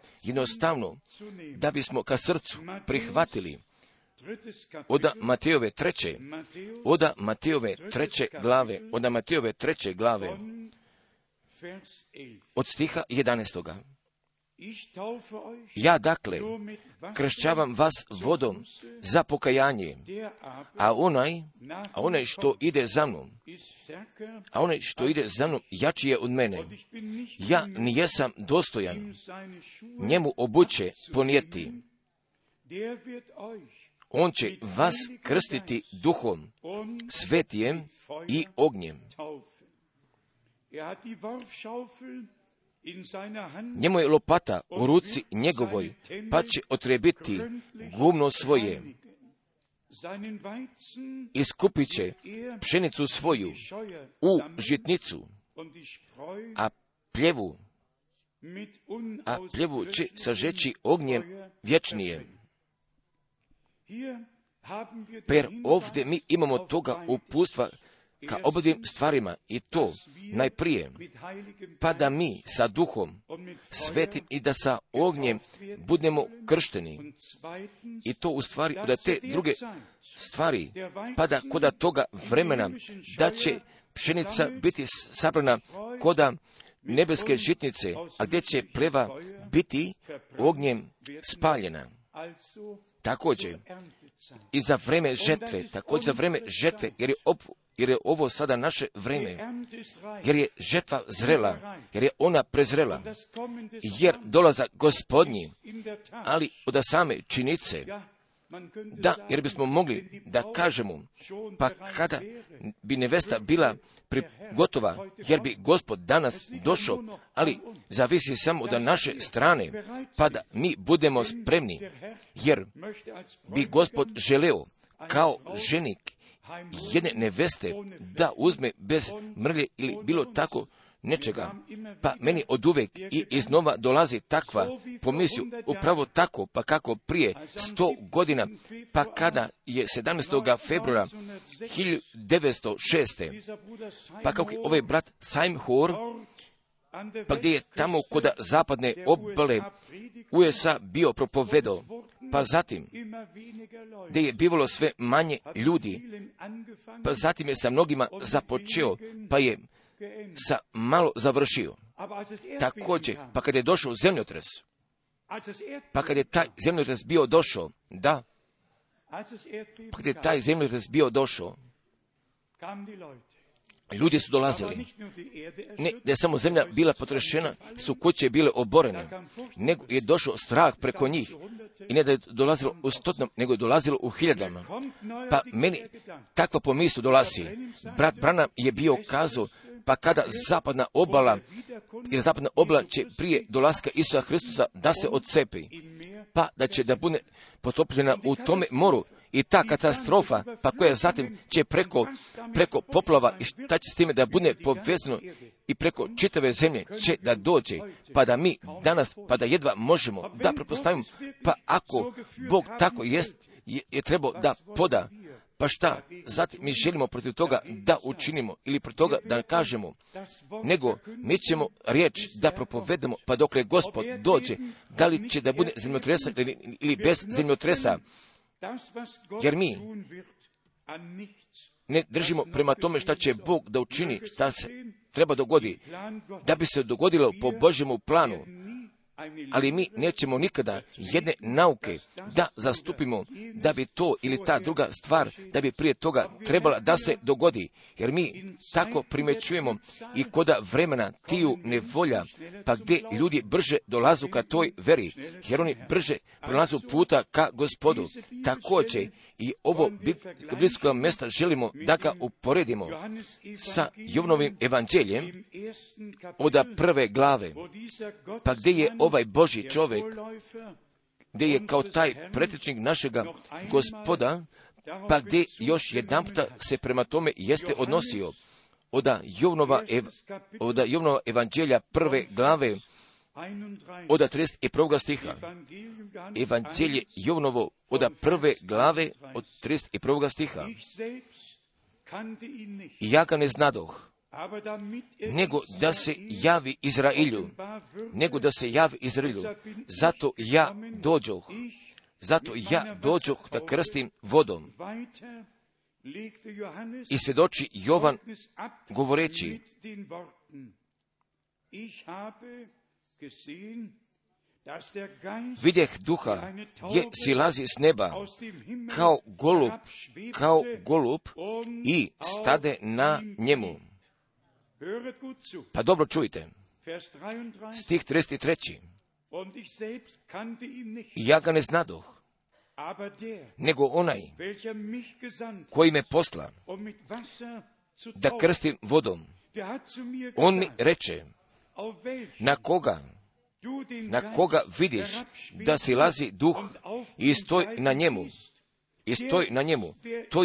da bismo ka srcu prihvatili od Matejove 3. glave, od stiha 11. Ja dakle kršćavam vas vodom za pokajanje, a onaj što ide za mnom, jači je od mene. Ja nijesam dostojan njemu obuće ponijeti. On će vas krstiti Duhom Svetijem i ognjem. Njemu je lopata u ruci njegovoj, pa će otrebiti gumno svoje. Iskupit će pšenicu svoju u žitnicu, a pljevu će sažeći ognjem vječnijem. Per ovdje mi imamo toga upustva ka obadvim stvarima, i to najprije, pa da mi sa Duhom Svetim i da sa ognjem budemo kršteni. I to u stvari da te druge stvari, pa da koda toga vremena, da će pšenica biti sabrana koda nebeske žitnice, a gdje će pleva biti ognjem spaljena. Također i za vreme žetve, također za vreme žetve, jer je ovo sada naše vreme, jer je žetva zrela, jer je ona prezrela, jer dolaza Gospodnji, ali od same činice, da, jer bismo mogli da kažemo, pa kada bi nevesta bila gotova, jer bi Gospod danas došao, ali zavisi samo od naše strane, pa da mi budemo spremni, jer bi Gospod želeo kao ženik jedne neveste da uzme bez mrlje ili bilo tako nečega, pa meni oduvek i iznova dolazi takva pomisiju, upravo tako, pa kako prije 100 godina, pa kada je 17. februara 1906. pa kako je ovaj brat Seymour, pa gdje je tamo kod zapadne obale USA bio propovedao, pa zatim gdje je bivalo sve manje ljudi, pa zatim je sa mnogima započeo, pa je sa malo završio. Također, pa kad je došao zemljotres, pa kad je taj zemljotres bio došao, da, pa kad je taj zemljotres bio došao, ljudi su dolazili. Ne da je samo zemlja bila potrešena, su kuće bile oborene, nego je došao strah preko njih. I ne da je dolazilo u stotinama, nego je dolazilo u hiljadama. Pa meni takva pomisao dolazi. Brat Branham je bio kazao, pa kada zapadna obala, jer zapadna obala će prije dolaska Isusa Hristusa da se odcepi, pa da će da bude potopljena u tome moru. I ta katastrofa, pa koja zatim će preko poplava i šta će s time da bude povezano i preko čitave zemlje će da dođe, pa da mi danas, pa da jedva možemo da pretpostavimo, pa ako Bog tako je trebao da poda, pa šta, zatim mi želimo protiv toga da učinimo ili protiv toga da kažemo, nego mi ćemo riječ da propovedemo, pa dokle Gospod dođe, da li će da bude zemljotresa ili bez zemljotresa, jer mi ne držimo prema tome šta će Bog da učini, šta se treba dogodi, da bi se dogodilo po Božjemu planu. Ali mi nećemo nikada jedne nauke da zastupimo, da bi to ili ta druga stvar, da bi prije toga trebala da se dogodi. Jer mi tako primećujemo i koda vremena tiju nevolja, pa gdje ljudi brže dolazu ka toj veri, jer oni brže prolazu puta ka Gospodu. Također i ovo biblijsko mjesta želimo da ga uporedimo sa Jovanovim evanđeljem od 1. glave, pa gdje je ovaj Božji čovjek, gdje je kao taj pretečnik našega Gospoda, pa gdje još jedanputa se prema tome jeste odnosio od Jovanova evanđelja 1. glave, od 31. stiha. Evanđelje Jovanovo od 1. glave od 31. stiha. I ja ga ne znadoh, nego da se javi Izrailju, zato ja dođoh da krstim vodom. I svjedoči Jovan govoreći, vidjeh duha je silazi s neba kao golub i stade na njemu. Pa dobro čujte, stih 33. I ja ga ne znadoh, nego onaj koji me posla da krstim vodom, on mi reče, na koga vidiš da silazi duh i stoj na njemu, to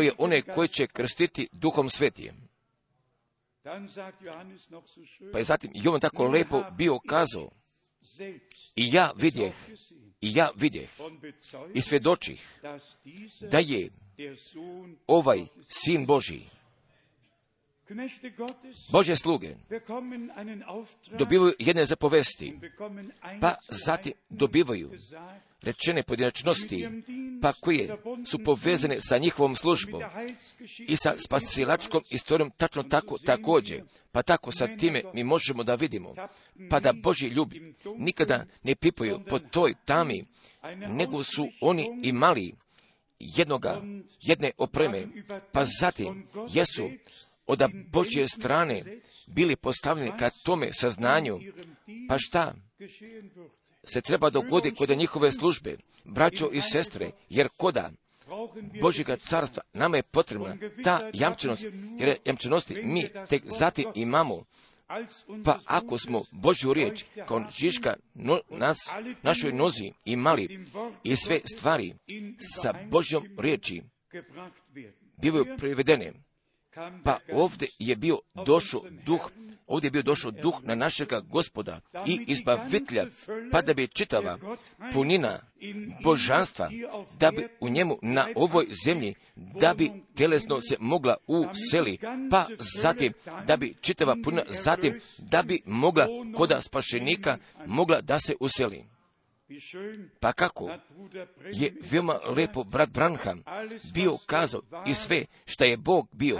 je onaj koji će krstiti Duhom Svetijem. Pa je zatim Jovan tako lepo bio kazao, i ja vidjeh i svjedočih da je ovaj Sin Božji. Božje sluge dobivaju jedne zapovesti, pa zatim dobivaju rečene pojedinačnosti, pa koje su povezane sa njihovom službom i sa spasilačkom istorijom tačno tako također. Pa tako sa time mi možemo da vidimo, pa da Božji ljubi nikada ne pipaju po toj tami, nego su oni imali jedne opreme, pa zatim jesu od Božje strane bili postavljeni ka tome saznanju, pa šta se treba dogoditi kod njihove službe, braćo i sestre, jer koda Božjega carstva nama je potrebna ta jamčenost, jer jamčenosti mi tek zatim imamo. Pa ako smo Božju riječ kao žiška našoj nozi imali i sve stvari sa Božjom riječi bivaju privedene, pa ovdje je bio došao duh na našega Gospoda i izbavitelja, pa da bi čitava punina božanstva, da bi u njemu na ovoj zemlji, da bi telesno se mogla useli, pa zatim da bi čitava punina, zatim da bi mogla koda spašenika mogla da se useli. Pa kako je veoma lepo brat Branham bio kazao i sve šta je Bog bio,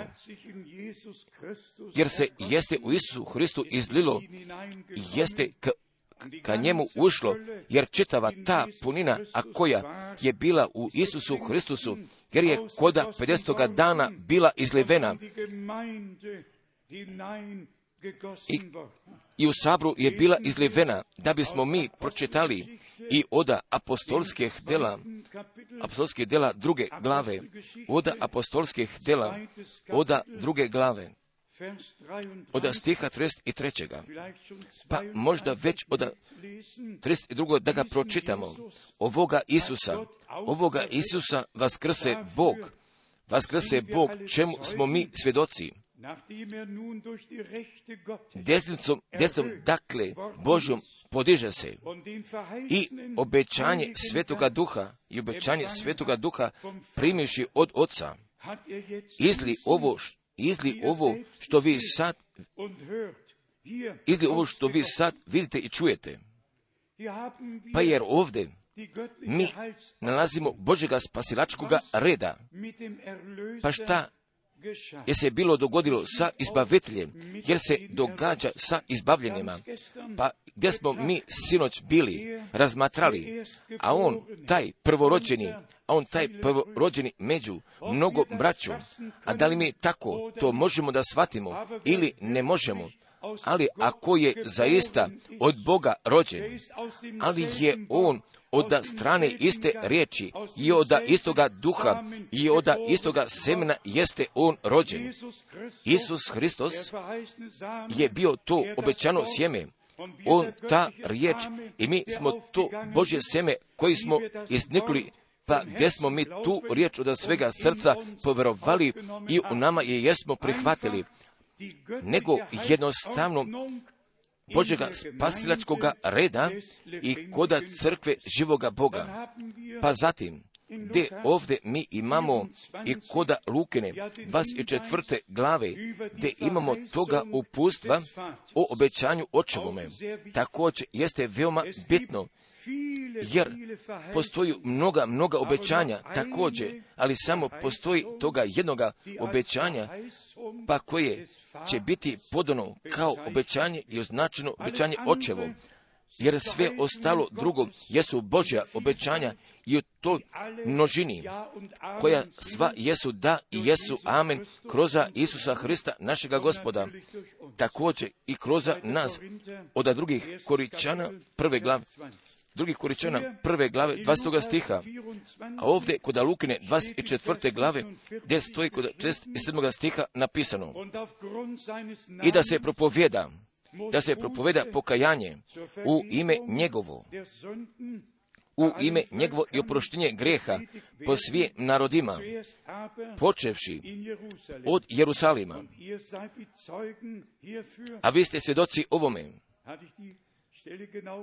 jer se jeste u Isusu Hristu izlilo, jeste ka njemu ušlo, jer čitava ta punina, a koja je bila u Isusu Hristusu, jer je koda 50. dana bila izlivena i u sabru je bila izlivena, da bismo mi pročitali i oda apostolskih dela druge glave, oda apostolskih dela, oda druge glave, oda stiha 33. Pa možda već oda 32. da ga pročitamo. Ovoga Isusa vaskrse Bog, čemu smo mi svjedoci. Desnom dakle Božjom podiže se i obećanje Svetoga Duha primivši od Oca, izli ovo što vi sad vidite i čujete. Pa jer ovdje mi nalazimo Božjega spasilačkoga reda. Pa šta je se bilo dogodilo sa izbaviteljem, jer se događa sa izbavljenima. Pa gdje smo mi sinoć bili razmatrali, a on taj prvorođeni među mnogo braću, a da li mi tako to možemo da shvatimo ili ne možemo, ali ako je zaista od Boga rođen, ali je on od strane iste riječi i od istoga duha i od istoga semena jeste on rođen. Isus Hristos je bio to obećano sjeme, on ta riječ i mi smo to Božje sjeme koji smo iznikli, pa gdje smo mi tu riječ od svega srca povjerovali i u nama je jesmo prihvatili, nego jednostavno Božjega spasilačkoga reda i koda crkve živoga Boga. Pa zatim, gdje ovdje mi imamo i koda Lukine 24. glave, gdje imamo toga upustva o obećanju očevome, također jeste veoma bitno, jer postoji mnoga obećanja također, ali samo postoji toga jednoga obećanja, pa koje će biti podano kao obećanje i označeno obećanje očevo, jer sve ostalo drugo jesu Božja obećanja i u toj množini, koja sva jesu da i jesu amen, kroz Isusa Hrista našega Gospoda, također i kroz nas, od drugih Koričana prve glave 20. stiha, a ovdje kod Lukine 24. glave, gdje stoji kod 67. stiha napisano, i da se propoveda pokajanje u ime njegovo i oproštenje greha po svim narodima, počevši od Jerusalima. A vi ste svjedoci ovome.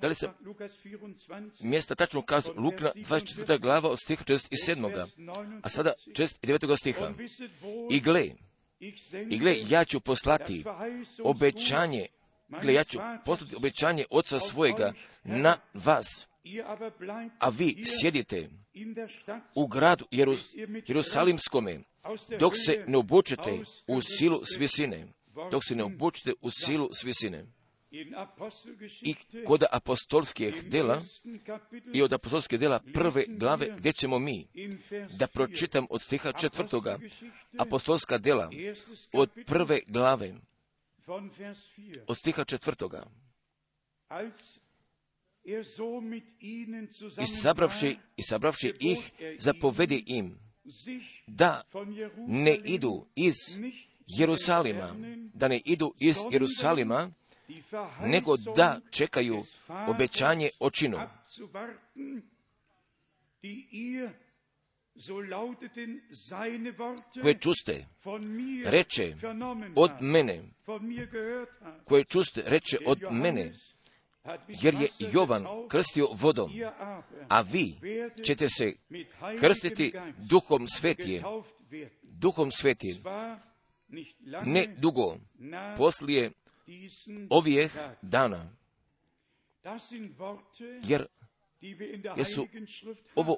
Da li se mjesta tačno kazao Lukina 24. glava od stiha 47. A sada 49. stiha. I gle, ja ću poslati obećanje gle, ja ću poslati obećanje Oca svojega na vas, a vi sjedite u gradu Jerusalimskome, dok se ne obučete u silu s visine. Dok se ne obučete u silu s visine. I kod apostolskih dela i od apostolskih dela 1. glave, gdje ćemo mi da pročitam od stiha 4. apostolska dela od 1. glave od stiha 4. I sabravši ih, zapovedi im da ne idu iz Jerusalima, nego da čekaju obećanje očinu, koje čuste reče od mene, jer je Jovan krstio vodom, a vi ćete se krstiti Duhom Svetim, ne dugo poslije ovih dana. Jer su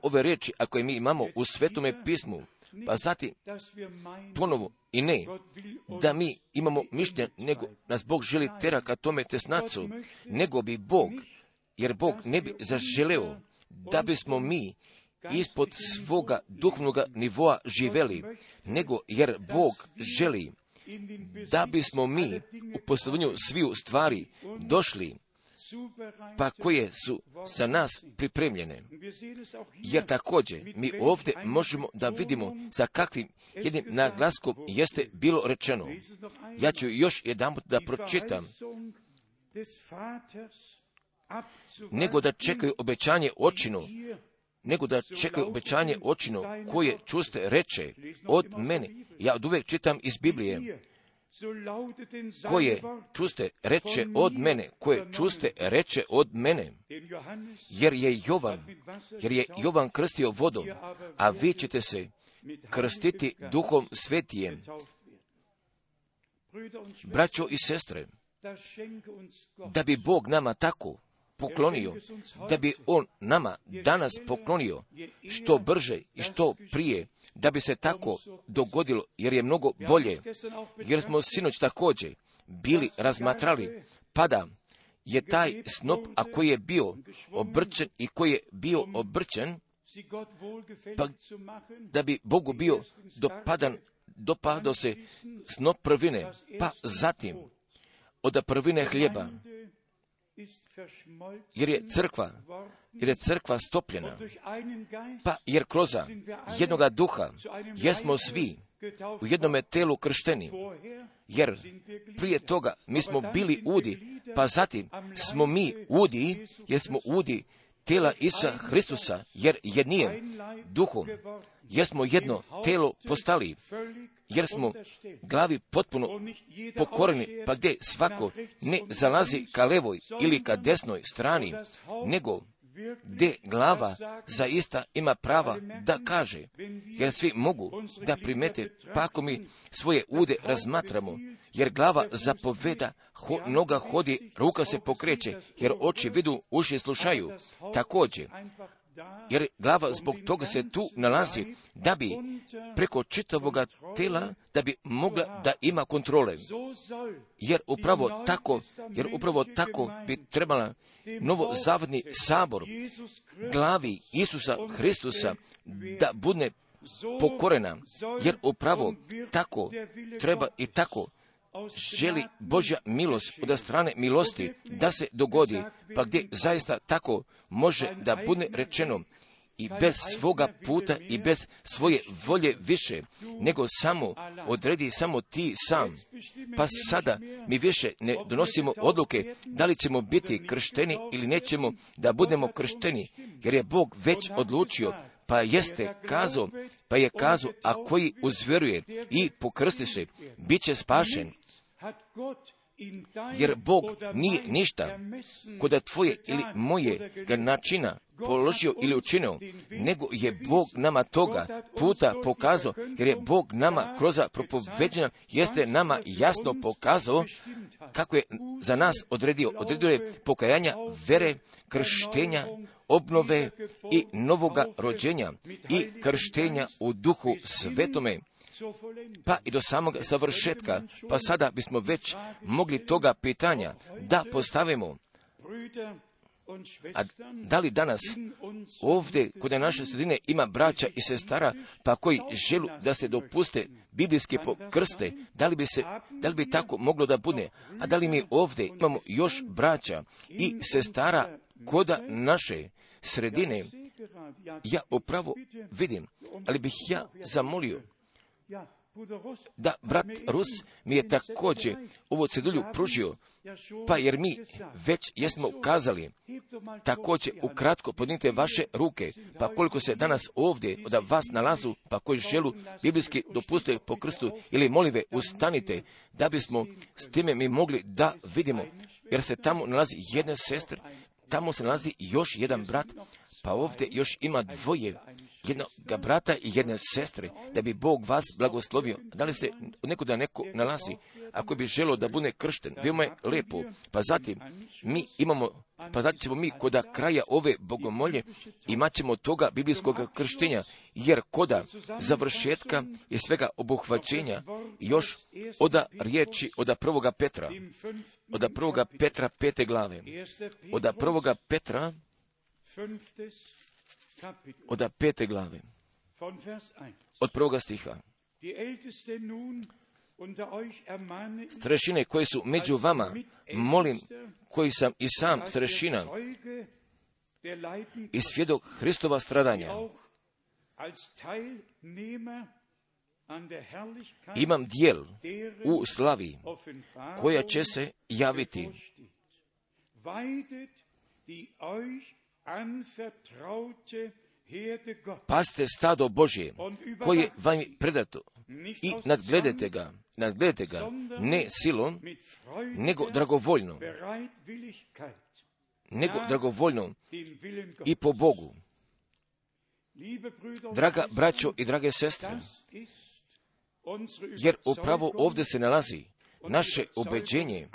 ove riječi, ako je mi imamo u Svetome pismu, pa zatim ponovo i ne, da mi imamo mišljenje, nego nas Bog želi tera ka tome tesnacu, nego bi Bog, jer Bog ne bi zaželeo da bismo mi ispod svoga duhovnoga nivoa živeli, nego jer Bog želi da bismo mi u posljednju sviju stvari došli, pa koje su za nas pripremljene. Jer također mi ovdje možemo da vidimo za kakvim jednim naglaskom jeste bilo rečeno. Ja ću još jedanput da pročitam. Nego da čekaju obećanje očinu, koje čuste reče od mene. Ja od uvijek čitam iz Biblije. Koje čuste reče od mene, jer je Jovan krstio vodom, a vi ćete se krstiti Duhom Svetijem. Braćo i sestre, da bi Bog nama tako poklonio, da bi On nama danas poklonio što brže i što prije, da bi se tako dogodilo, jer je mnogo bolje, jer smo sinoć također bili razmatrali, pa da je taj snop, a koji je bio obrčen, pa da bi Bogu bio dopadao se snop prvine, pa zatim od prvine hljeba, jer je crkva stopljena, pa jer kroz jednoga duha jesmo svi u jednome telu kršteni, jer prije toga mi smo bili udi, pa zatim smo mi udi, jer smo udi tela Isusa Hristusa, jer jednim duhom jesmo jedno telo postali, jer smo glavi potpuno pokoreni, pa gdje svako ne zalazi ka levoj ili ka desnoj strani, nego gdje glava zaista ima prava da kaže, jer svi mogu da primete, pa ako mi svoje ude razmatramo, jer glava zapoveda, noga hodi, ruka se pokreće, jer oči vidu, uši slušaju, također. Jer glava zbog toga se tu nalazi, da bi preko čitavoga tela, da bi mogla da ima kontrole. Jer upravo tako bi trebala novozavodni sabor glavi Isusa Hristusa da bude pokorena. Jer upravo tako treba i tako želi Božja milost od strane milosti da se dogodi, pa gdje zaista tako može da bude rečeno i bez svoga puta i bez svoje volje više, nego samo odredi samo ti sam. Pa sada mi više ne donosimo odluke da li ćemo biti kršteni ili nećemo da budemo kršteni, jer je Bog već odlučio, pa je kazao, a koji uzvjeruje i pokrsti se, bit će spašen. jer Bog nije ništa kod tvoje ili moje načina položio ili učinio, nego je Bog nama toga puta pokazao, jer je Bog nama kroz propoveđenja jeste nama jasno pokazao kako je za nas odredio je pokajanja, vere, krštenja, obnove i novoga rođenja i krštenja u Duhu Svetome, pa i do samog savršetka. Pa sada bismo već mogli toga pitanja da postavimo. A da li danas ovdje kod naše sredine ima braća i sestara pa koji želu da se dopuste biblijske pokrste? Da li bi tako moglo da bude? A da li mi ovdje imamo još braća i sestara kod naše sredine? Ja upravo vidim, ali bih ja zamolio da brat Rus mi je također ovo cedulju pružio, pa jer mi već jesmo kazali, također ukratko podignite vaše ruke, pa koliko se danas ovdje od vas nalazu, pa koji želu biblijski dopuste po krstu ili molive, ustanite, da bismo s time mi mogli da vidimo, jer se tamo nalazi jedna sestra, tamo se nalazi još jedan brat, pa ovdje još ima dvoje, jednog brata i jedne sestre, da bi Bog vas blagoslovio. Da li se nekuda neko nalazi, ako bi želio da bude kršten, veoma je lepo. Pa zatim ćemo mi kod kraja ove bogomolje imat ćemo toga biblijskog krštenja, jer koda završetka i svega obuhvaćenja još od riječi od prvoga Petra 5. glave, od prvoga Petra od 5. glave, od 1. stiha. Starešine koji su među vama, molim, koji sam i sam starešina i svjedok Hristova stradanja, imam dijel u slavi koja će se javiti. Paste stado Božje koje vam je predato i nadgledajte ga ne silom, nego dragovoljno i po Bogu. Draga braćo i drage sestre, jer upravo ovdje se nalazi naše ubeđenje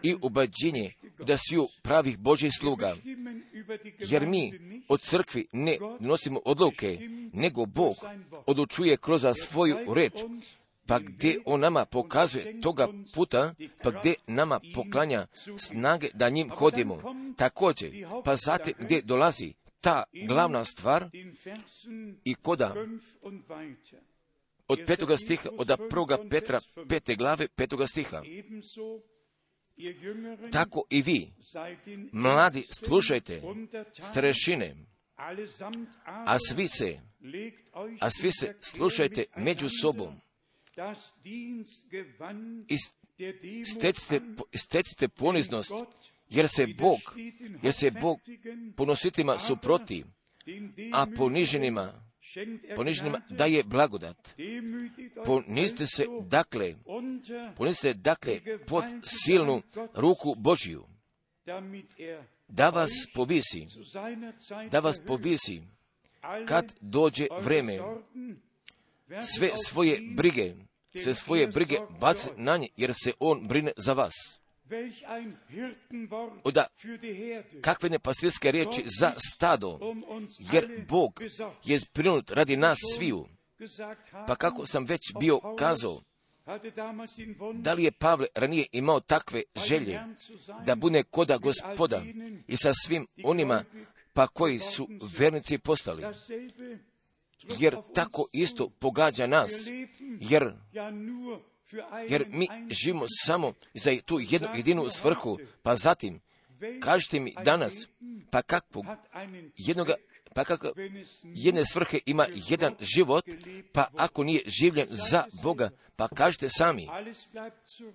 i ubeđenje da sviju pravih Božjih sluga, jer mi od crkvi ne nosimo odluke, nego Bog odlučuje kroz svoju reč, pa gdje on nama pokazuje toga puta, pa gdje nama poklanja snage da njim hodimo. Također, pa zatim gdje dolazi ta glavna stvar i koda od 5. stiha, od 1. Petra 5. glave 5. stiha. Tako i vi, mladi, slušajte starešine, a svi se slušajte među sobom. Stecite poniznost, jer se Bog ponositima suproti, a poniženima daje blagodat. Ponizite se dakle pod silnu ruku Božju, da vas povisi kad dođe vreme. Sve svoje brige baci na nje, jer se on brine za vas. Kakve nepastirske riječi za stado, jer Bog je zbrinut radi nas sviju. Pa kako sam već bio kazao, da li je Pavle ranije imao takve želje da bude koda Gospoda i sa svim onima pa koji su vernici postali? Jer tako isto pogađa nas, jer mi živimo samo za tu jednu jedinu svrhu. Pa zatim, kažite mi danas, pa kakvog jedne svrhe ima jedan život, pa ako nije življen za Boga, pa kažite sami,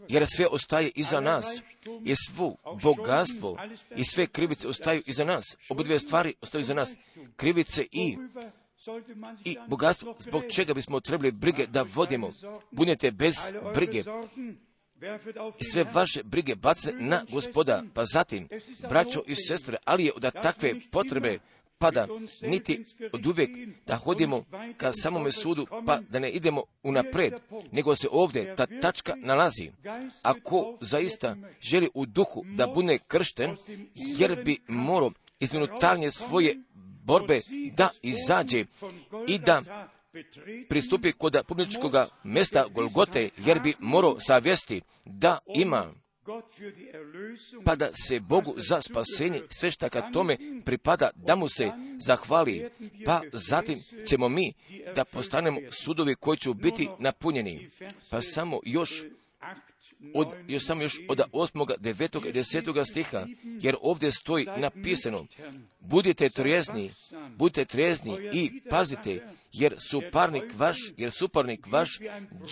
jer sve ostaje iza nas, i svo bogatstvo i sve krivice ostaju iza nas. Obudve stvari ostaju iza nas, krivice i bogatstvo, zbog čega bismo trebali brige da vodimo. Budete bez brige, i sve vaše brige bace na Gospoda. Pa zatim, braćo i sestre, ali je da takve potrebe pada niti od uvijek da hodimo ka samome sudu, pa da ne idemo unapred, nego se ovdje ta tačka nalazi. Ako zaista želi u duhu da bude kršten, jer bi morao iz unutarnje svoje borbe da izađe i da pristupi kod publičkog mjesta Golgote, jer bi morao savjesti da ima, pa da se Bogu za spasenje sve šta ka tome pripada, da mu se zahvali, pa zatim ćemo mi da postanemo sudovi koji će biti napunjeni. Pa samo još od 8., 9. i 10. stiha, jer ovdje stoji napisano: budite trijezni i pazite, jer suparnik vaš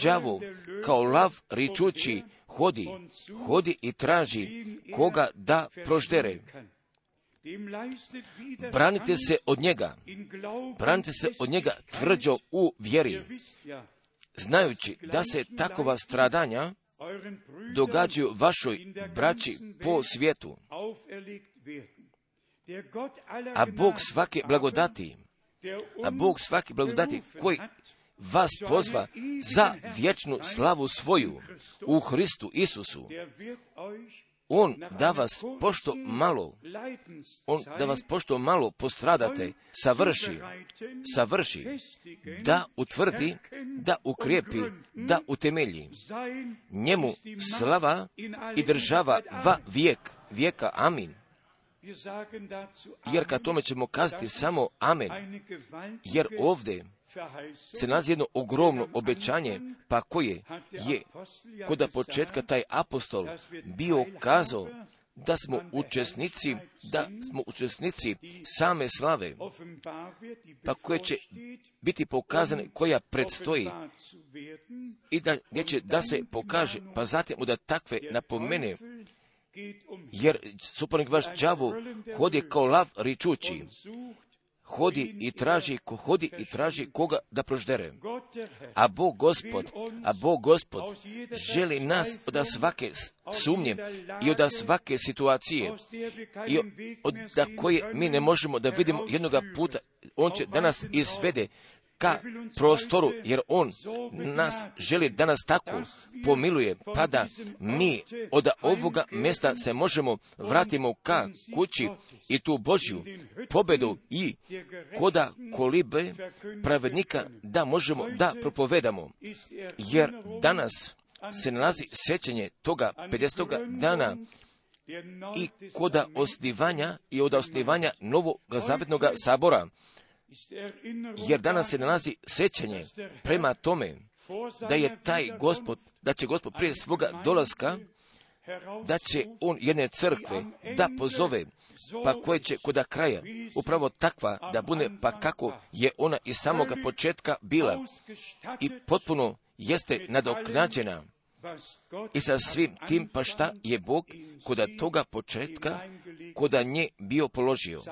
đavo kao lav ričući hodi i traži koga da proždere. Branite se od njega tvrđo u vjeri, znajući da se takova stradanja događaju vašoj braći po svijetu. A Bog svake blagodati koji vas pozva za vječnu slavu svoju u Hristu Isusu, On da vas pošto malo postradate, savrši, da utvrdi, da ukrijepi, da utemelji. Njemu slava i država va vijeka. Amin. Jer kad tome ćemo kazati samo amen, jer ovdje se nalazi jedno ogromno obećanje, pa koje je kod početka taj apostol bio kazao da smo učesnici same slave, pa koje će biti pokazane, koja predstoji i gdje će da se pokaže, pa zatim da takve napomene, jer suparnik vaš đavo hodi kao lav ričući, hodi i traži koga da proždere. A Bog Gospod želi nas od svake sumnje i od svake situacije i od koje mi ne možemo da vidimo jednoga puta. On će da nas izvede ka prostoru, jer On nas želi da nas tako pomiluje, pa da mi od ovoga mjesta se možemo vratimo ka kući i tu Božju pobedu i koda kolibe pravednika da možemo da propovedamo. Jer danas se nalazi sjećanje toga 50. dana i koda osnivanja i od osnivanja Novog Zavetnog sabora. Jer danas se nalazi sjećanje prema tome da je da će Gospod prije svoga dolaska, da će On jedne crkve da pozove, pa koje će kod kraja upravo takva da bude, pa kako je ona iz samoga početka bila i potpuno jeste nadoknađena i sa svim tim, pa šta je Bog kod toga početka kod nje bio položio.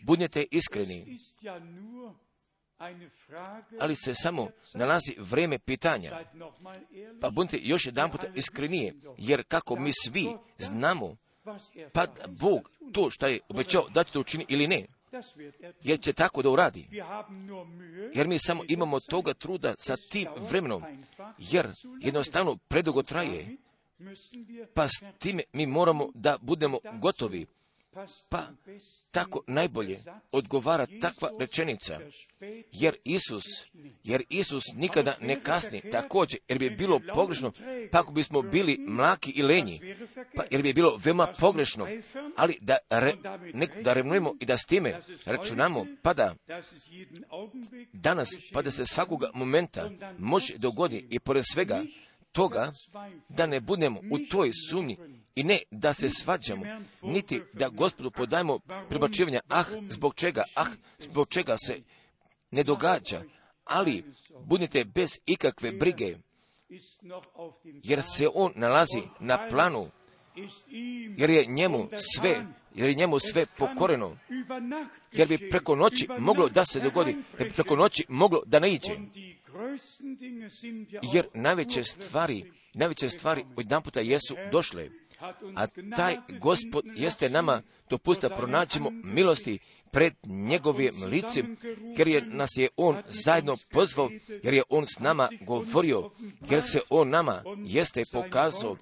Budite iskreni, ali se samo nalazi vrijeme pitanja, pa budite još jedan put iskrenije, jer kako mi svi znamo, pa Bog to što je obećao da će to učini ili ne, jer će tako da uradi. Jer mi samo imamo toga truda sa tim vremenom, jer jednostavno predugo traje, pa s time mi moramo da budemo gotovi. Pa tako najbolje odgovara takva rečenica, jer Isus nikada ne kasni, također, jer bi bilo pogrešno, pa ako bismo bili mlaki i lenji, pa jer bi bilo veoma pogrešno, ali da revnujemo i da s time računamo, pa da danas, pa da se svakoga momenta može dogoditi i pored svega toga, da ne budemo u toj sumnji i ne da se svađamo, niti da Gospodu podajemo prebacivanja, zbog čega se ne događa, ali budite bez ikakve brige, jer se On nalazi na planu, jer je njemu sve pokoreno, jer bi preko noći moglo da se dogodi, jer bi preko noći moglo da ne iđe. jer najveće stvari odjedanputa jesu došle. A taj Gospod jeste nama dopustio da pronađemo milosti pred njegovim licem, jer nas je On zajedno pozvao, jer je On s nama govorio, jer se On nama jeste pokazao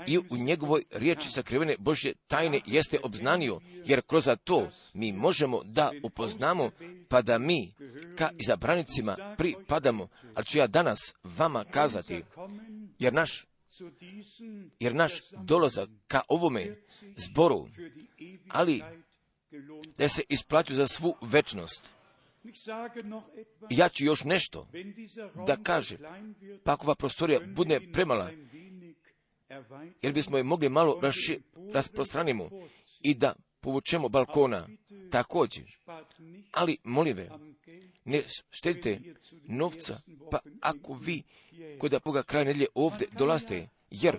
i u njegovoj riječi sakrivene Božje tajne jeste obznanio, jer kroz to mi možemo da upoznamo, pa da mi ka izabranicima pripadamo. Ali ću ja danas vama kazati, jer naš dolazak ka ovome zboru, ali da se isplati za svu večnost. Ja ću još nešto da kažem, pa ako ova prostorija bude premala, jer bismo je mogli malo rasprostranimo i da povučemo balkona također. Ali, molim ve, ne štedite novca, pa ako vi kod Boga kraj nedjelje ovdje dolazite, jer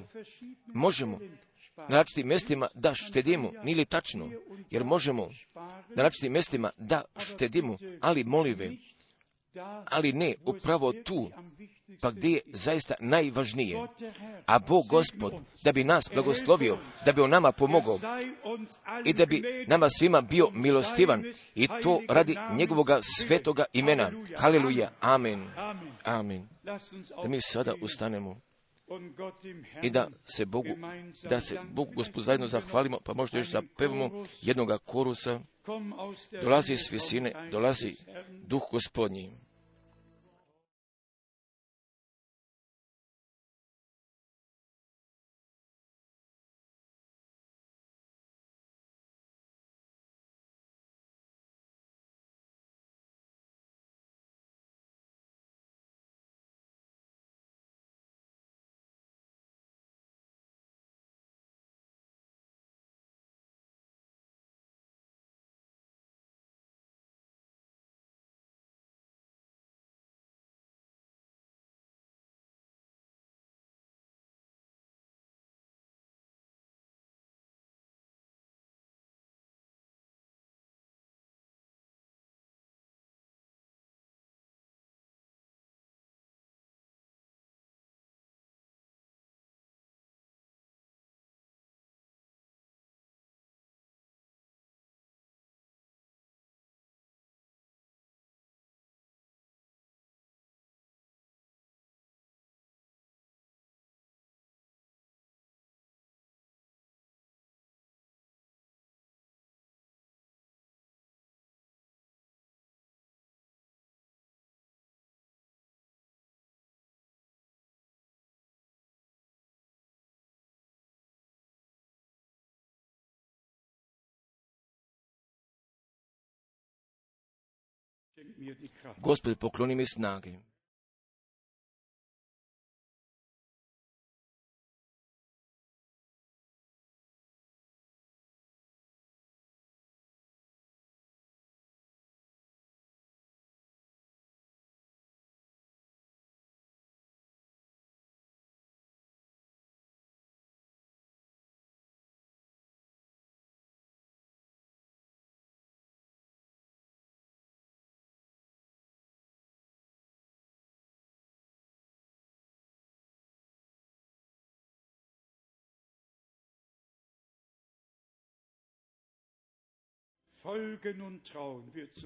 možemo na različitim mjestima da štedimo, nije li tačno, jer možemo na različitim mjestima da štedimo, ali molim ve, ali ne upravo tu, pa gdje je zaista najvažnije. A Bog Gospod, da bi nas blagoslovio, da bi On nama pomogao i da bi nama svima bio milostivan, i to radi njegovoga svetoga imena. Haleluja, amen, amen. Da mi sada ustanemo i da se Bogu Gospodu zajedno zahvalimo, pa možda još zapevamo jednoga korusa. Dolazi s visine, dolazi Duh Gospodnji. Gospod, pokloni mi snage.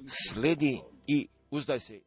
Sledi i uzdaj se.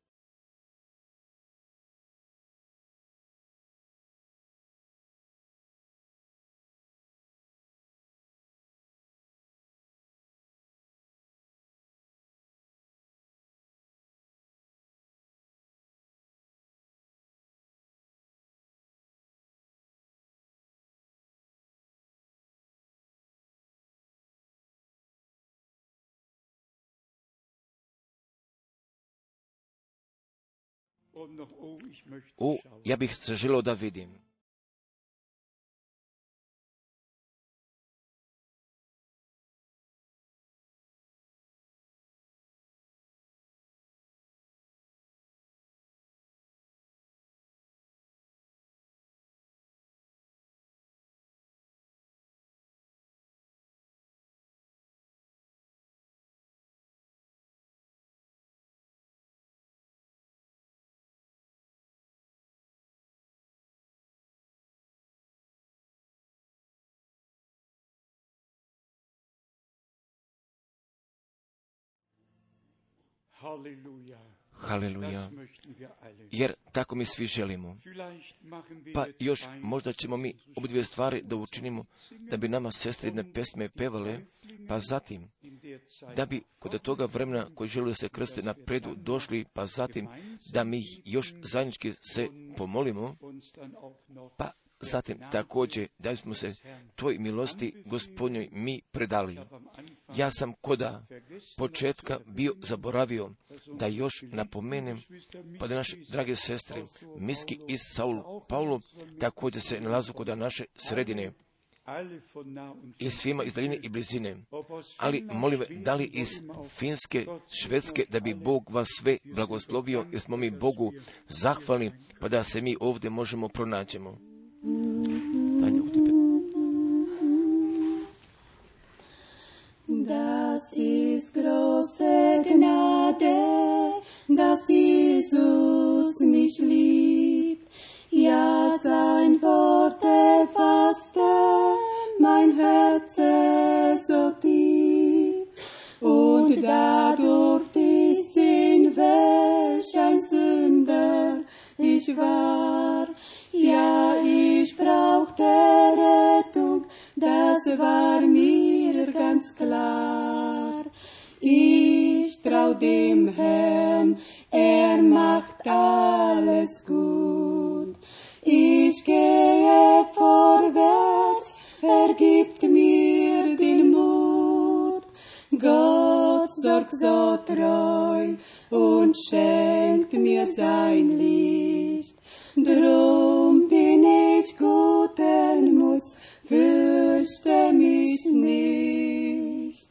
Ja bih se želio da vidim. Haleluja. Jer tako mi svi želimo. Pa još možda ćemo mi obdvije stvari da učinimo, da bi nama sestre jedne pesme pevale, pa zatim da bi kod toga vremena koji žele se krste na predu došli, pa zatim da mi još zajednički se pomolimo, pa zatim također da smo se tvoj milosti Gospodnjoj mi predali. Ja sam koda početka bio zaboravio da još napomenem, pa da naše drage sestre Miski iz Saul Paulo također se nalazu kod naše sredine i svima iz daljine i blizine, ali molim, da li iz Finske, Švedske, da bi Bog vas sve blagoslovio, jer smo mi Bogu zahvalni, pa da se mi ovdje možemo pronađemo. Tanja, u tebe. Das ist große Gnade, dass Jesus mich liebt. Ja, sein Wort erfasste mein Herze so tief. Und da durfte ich sehen, welch ein Sünder ich war. Ja, ich brauchte Rettung, das war mir ganz klar. Ich trau dem Herrn, macht alles gut. Ich gehe vorwärts, gibt mir den Mut. Gott sorgt so treu und schenkt mir sein Licht. Drum bin ich guten Muts, fürchte mich nicht.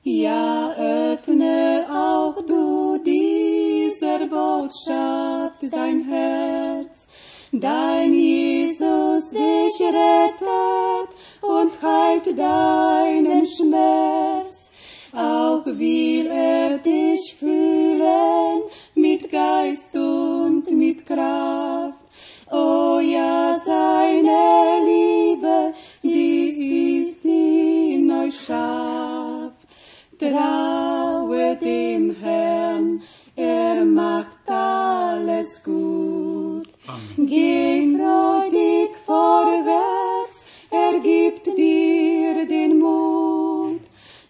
Ja, öffne auch du dieser Botschaft dein Herz, dein Jesus dich rettet und heilt deinen Schmerz. Auch will dich füllen mit Geist und mit Kraft. Oh ja, seine Liebe, die ist in euch schafft. Traue dem Herrn, macht alles gut. Geh freudig vorwärts, gibt dir den Mut.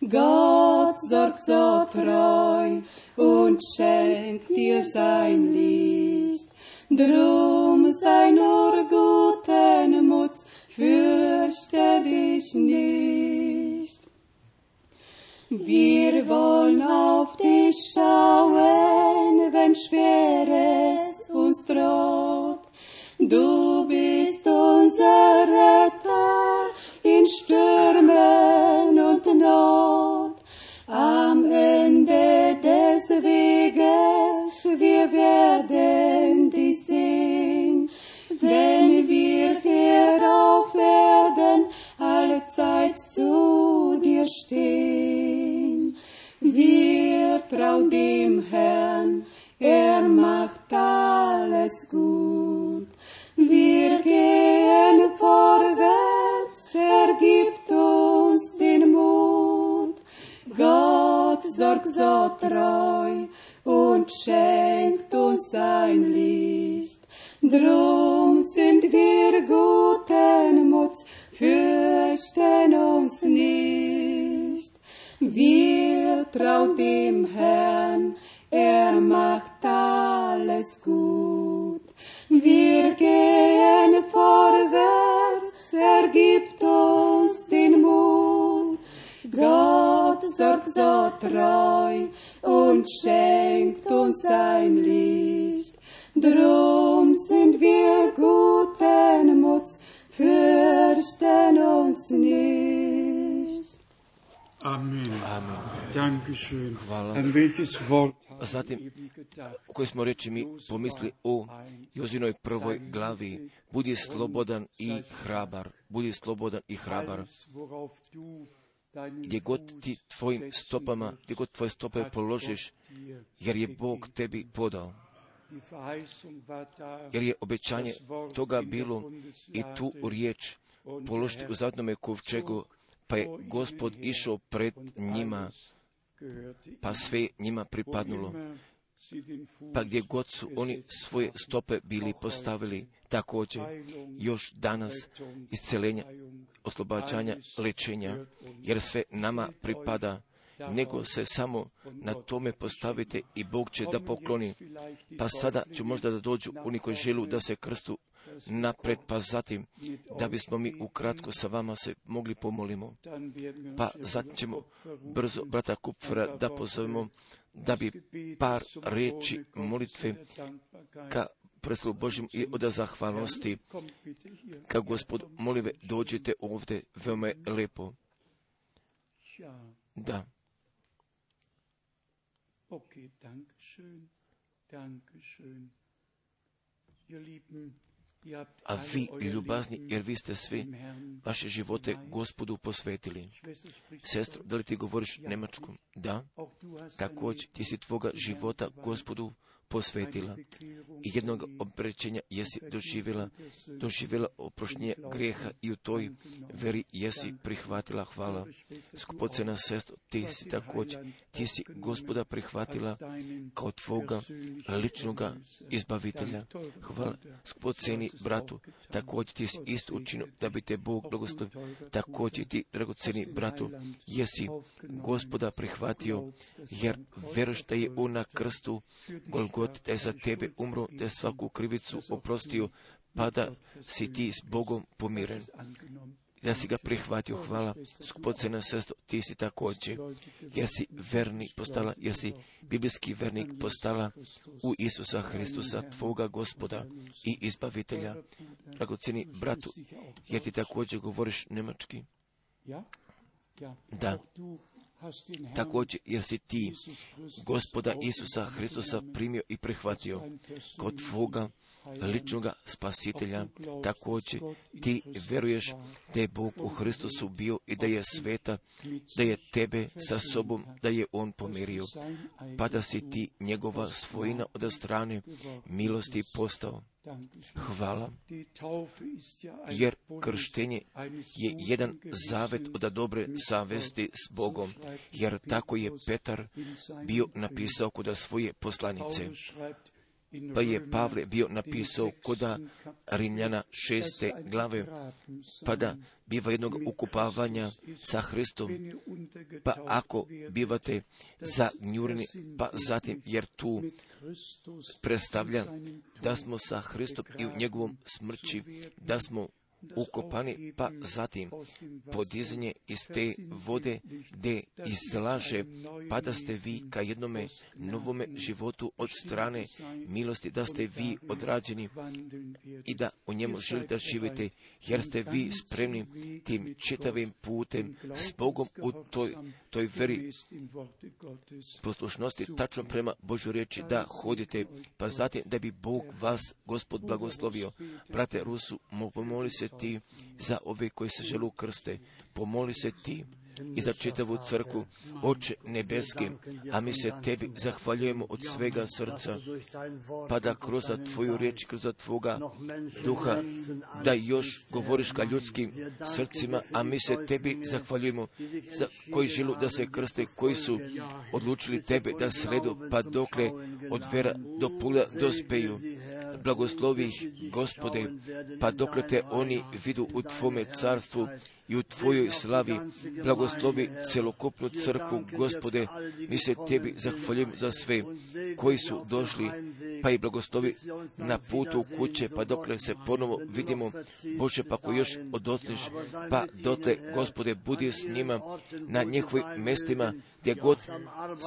Gott sorgt so treu und schenkt dir sein Licht. Drum sei nur guten Muts, fürchte dich nicht. Wir wollen auf dich schauen, wenn Schweres uns droht. Du bist unser Retter in Stürmen und Not. Am Ende des Weges wir werden dich sehen, wenn wir hier auf Erden allezeit zu dir stehen. Wir trauen dem Herrn, macht alles gut. Wir gehen vorwärts, gibt uns den Mut. Gott sorgt so treu und schenkt uns sein Licht. Drum sind wir guten Muts, fürchten uns nicht. Wir trauen dem Herrn, macht alles gut. Wir gehen vorwärts, gibt uns den Mut. Gott sorgt so treu und schenkt uns sein Licht. Drum sind wir guten Muts, fürchten uns nicht. Amen. Amen. Dankeschön. Hvala. An welches Wort Zatim, u kojoj smo reči mi pomisli o Jozinoj prvoj glavi, budi slobodan i hrabar, budi slobodan i hrabar. Gdje god ti tvojim stopama, gdje god tvoje stope položiš, jer je Bog tebi podao. Jer je obećanje toga bilo i tu riječ položiti u zavetnome kovčegu, pa je Gospod išao pred njima pa sve njima pripadnulo. Pa gdje god su oni svoje stope bili postavili, također još danas isceljenja, oslobađanja, lečenja, jer sve nama pripada, nego se samo na tome postavite i Bog će da pokloni. Pa sada ću možda da dođu oni koji želu da se krstu napred, pa zatim da bismo mi ukratko sa vama se mogli pomolimo. Pa zatim ćemo brzo brata Kupfera da pozovemo da bi par riječi molitve ka prestolu Božjem i od zahvalnosti. Ka Gospod, molive, dođite ovdje, veoma je lepo. Da. A vi, ljubazni, jer vi ste svi vaše živote Gospodu posvetili. Sestro, da li ti govoriš njemačkom? Da. Također, ti si tvoga života Gospodu posvetila. I jednog obrećenja jesi doživjela oproštenje grijeha i u toj veri jesi prihvatila. Hvala. Skupocena sestro, ti si također, ti si Gospoda prihvatila kao tvoga ličnoga izbavitelja. Hvala. Skupoceni bratu, također ti si isto učinio da bi te Bog blagoslovio. Također ti, dragoceni bratu, jesi Gospoda prihvatio, jer veruješ da je on na krstu Golgota, da je za tebe umro, da je svaku krivicu oprostio, pa da si ti s Bogom pomiren. Da si ga prihvatio. Hvala. Skupocena sestro, ti si također, jer si vernik postala, jer si biblijski vernik postala u Isusa Hristusa, tvoga Gospoda i izbavitelja. Dragoceni bratu, jer ti također govoriš njemački? Da. Također, jer si ti Gospoda Isusa Hristusa primio i prihvatio kod tvoga ličnoga spasitelja. Također, ti veruješ da je Bog u Hristusu bio i da je sveta, da je tebe sa sobom, da je on pomirio, pa da si ti njegova svojina od strane milosti postao. Hvala, jer krštenje je jedan zavet od dobre savesti s Bogom, jer tako je Petar bio napisao kod svoje poslanice. Pa je Pavle bio napisao kod Rimljana 6. glave, pa da biva jednog ukupavanja sa Hristom, pa ako bivate zagnjureni, pa zatim, jer tu predstavlja da smo sa Hristom i u njegovom smrći, da smo ukopani, pa zatim podizanje iz te vode gdje izlaže, pa da ste vi ka jednome novome životu od strane milosti, da ste vi odrađeni i da u njemu želite živite, jer ste vi spremni tim čitavim putem s Bogom u toj veri poslušnosti, tačno prema Božoj riječi da hodite, pa zatim da bi Bog vas, Gospod, blagoslovio. Brate Rusu, pomoli se ti za ove koji se žele krste, pomoli se ti i za čitavu crkvu, Oče nebeski, a mi se tebi zahvaljujemo od svega srca, pa da kroz tvoju riječ, kroz tvoga duha, da još govoriš ka ljudskim srcima, a mi se tebi zahvaljujemo za koji želu da se krste, koji su odlučili tebe da sledu, pa dokle od vera do pula dospeju. Blagoslovi ih, Gospode, pa dokle te oni vidu u tvome carstvu i u tvojoj slavi. Blagoslovi celokupnu crkvu, Gospode, mi se tebi zahvaljujemo za sve koji su došli, pa i blagoslovi na putu u kuće, pa dokle se ponovo vidimo, Bože, pa ko još odotneš, pa dotle, Gospode, budi s njima na njihovim mestima, gdje god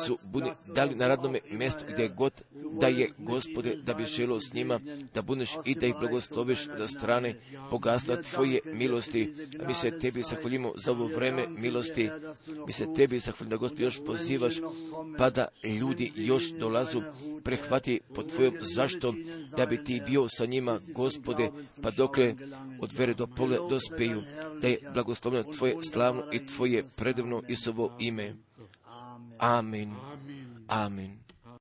su budi, dali na radnome mjestu, gdje god da je, Gospode, da bi želio s njima, da budeš i da ih blagosloviš za strane bogatstva tvoje milosti. A mi se tebi zahvaljujemo za ovo vreme milosti. Mi se tebi zahvaljujemo da, Gospod, još pozivaš, pa da ljudi još dolazu, prehvati pod tvojom zaštom, da bi ti bio sa njima, Gospode, pa dokle od vere do pole dospeju, da je blagosloveno tvoje slavno i tvoje predivno Isusovo ime. Amen. Amen.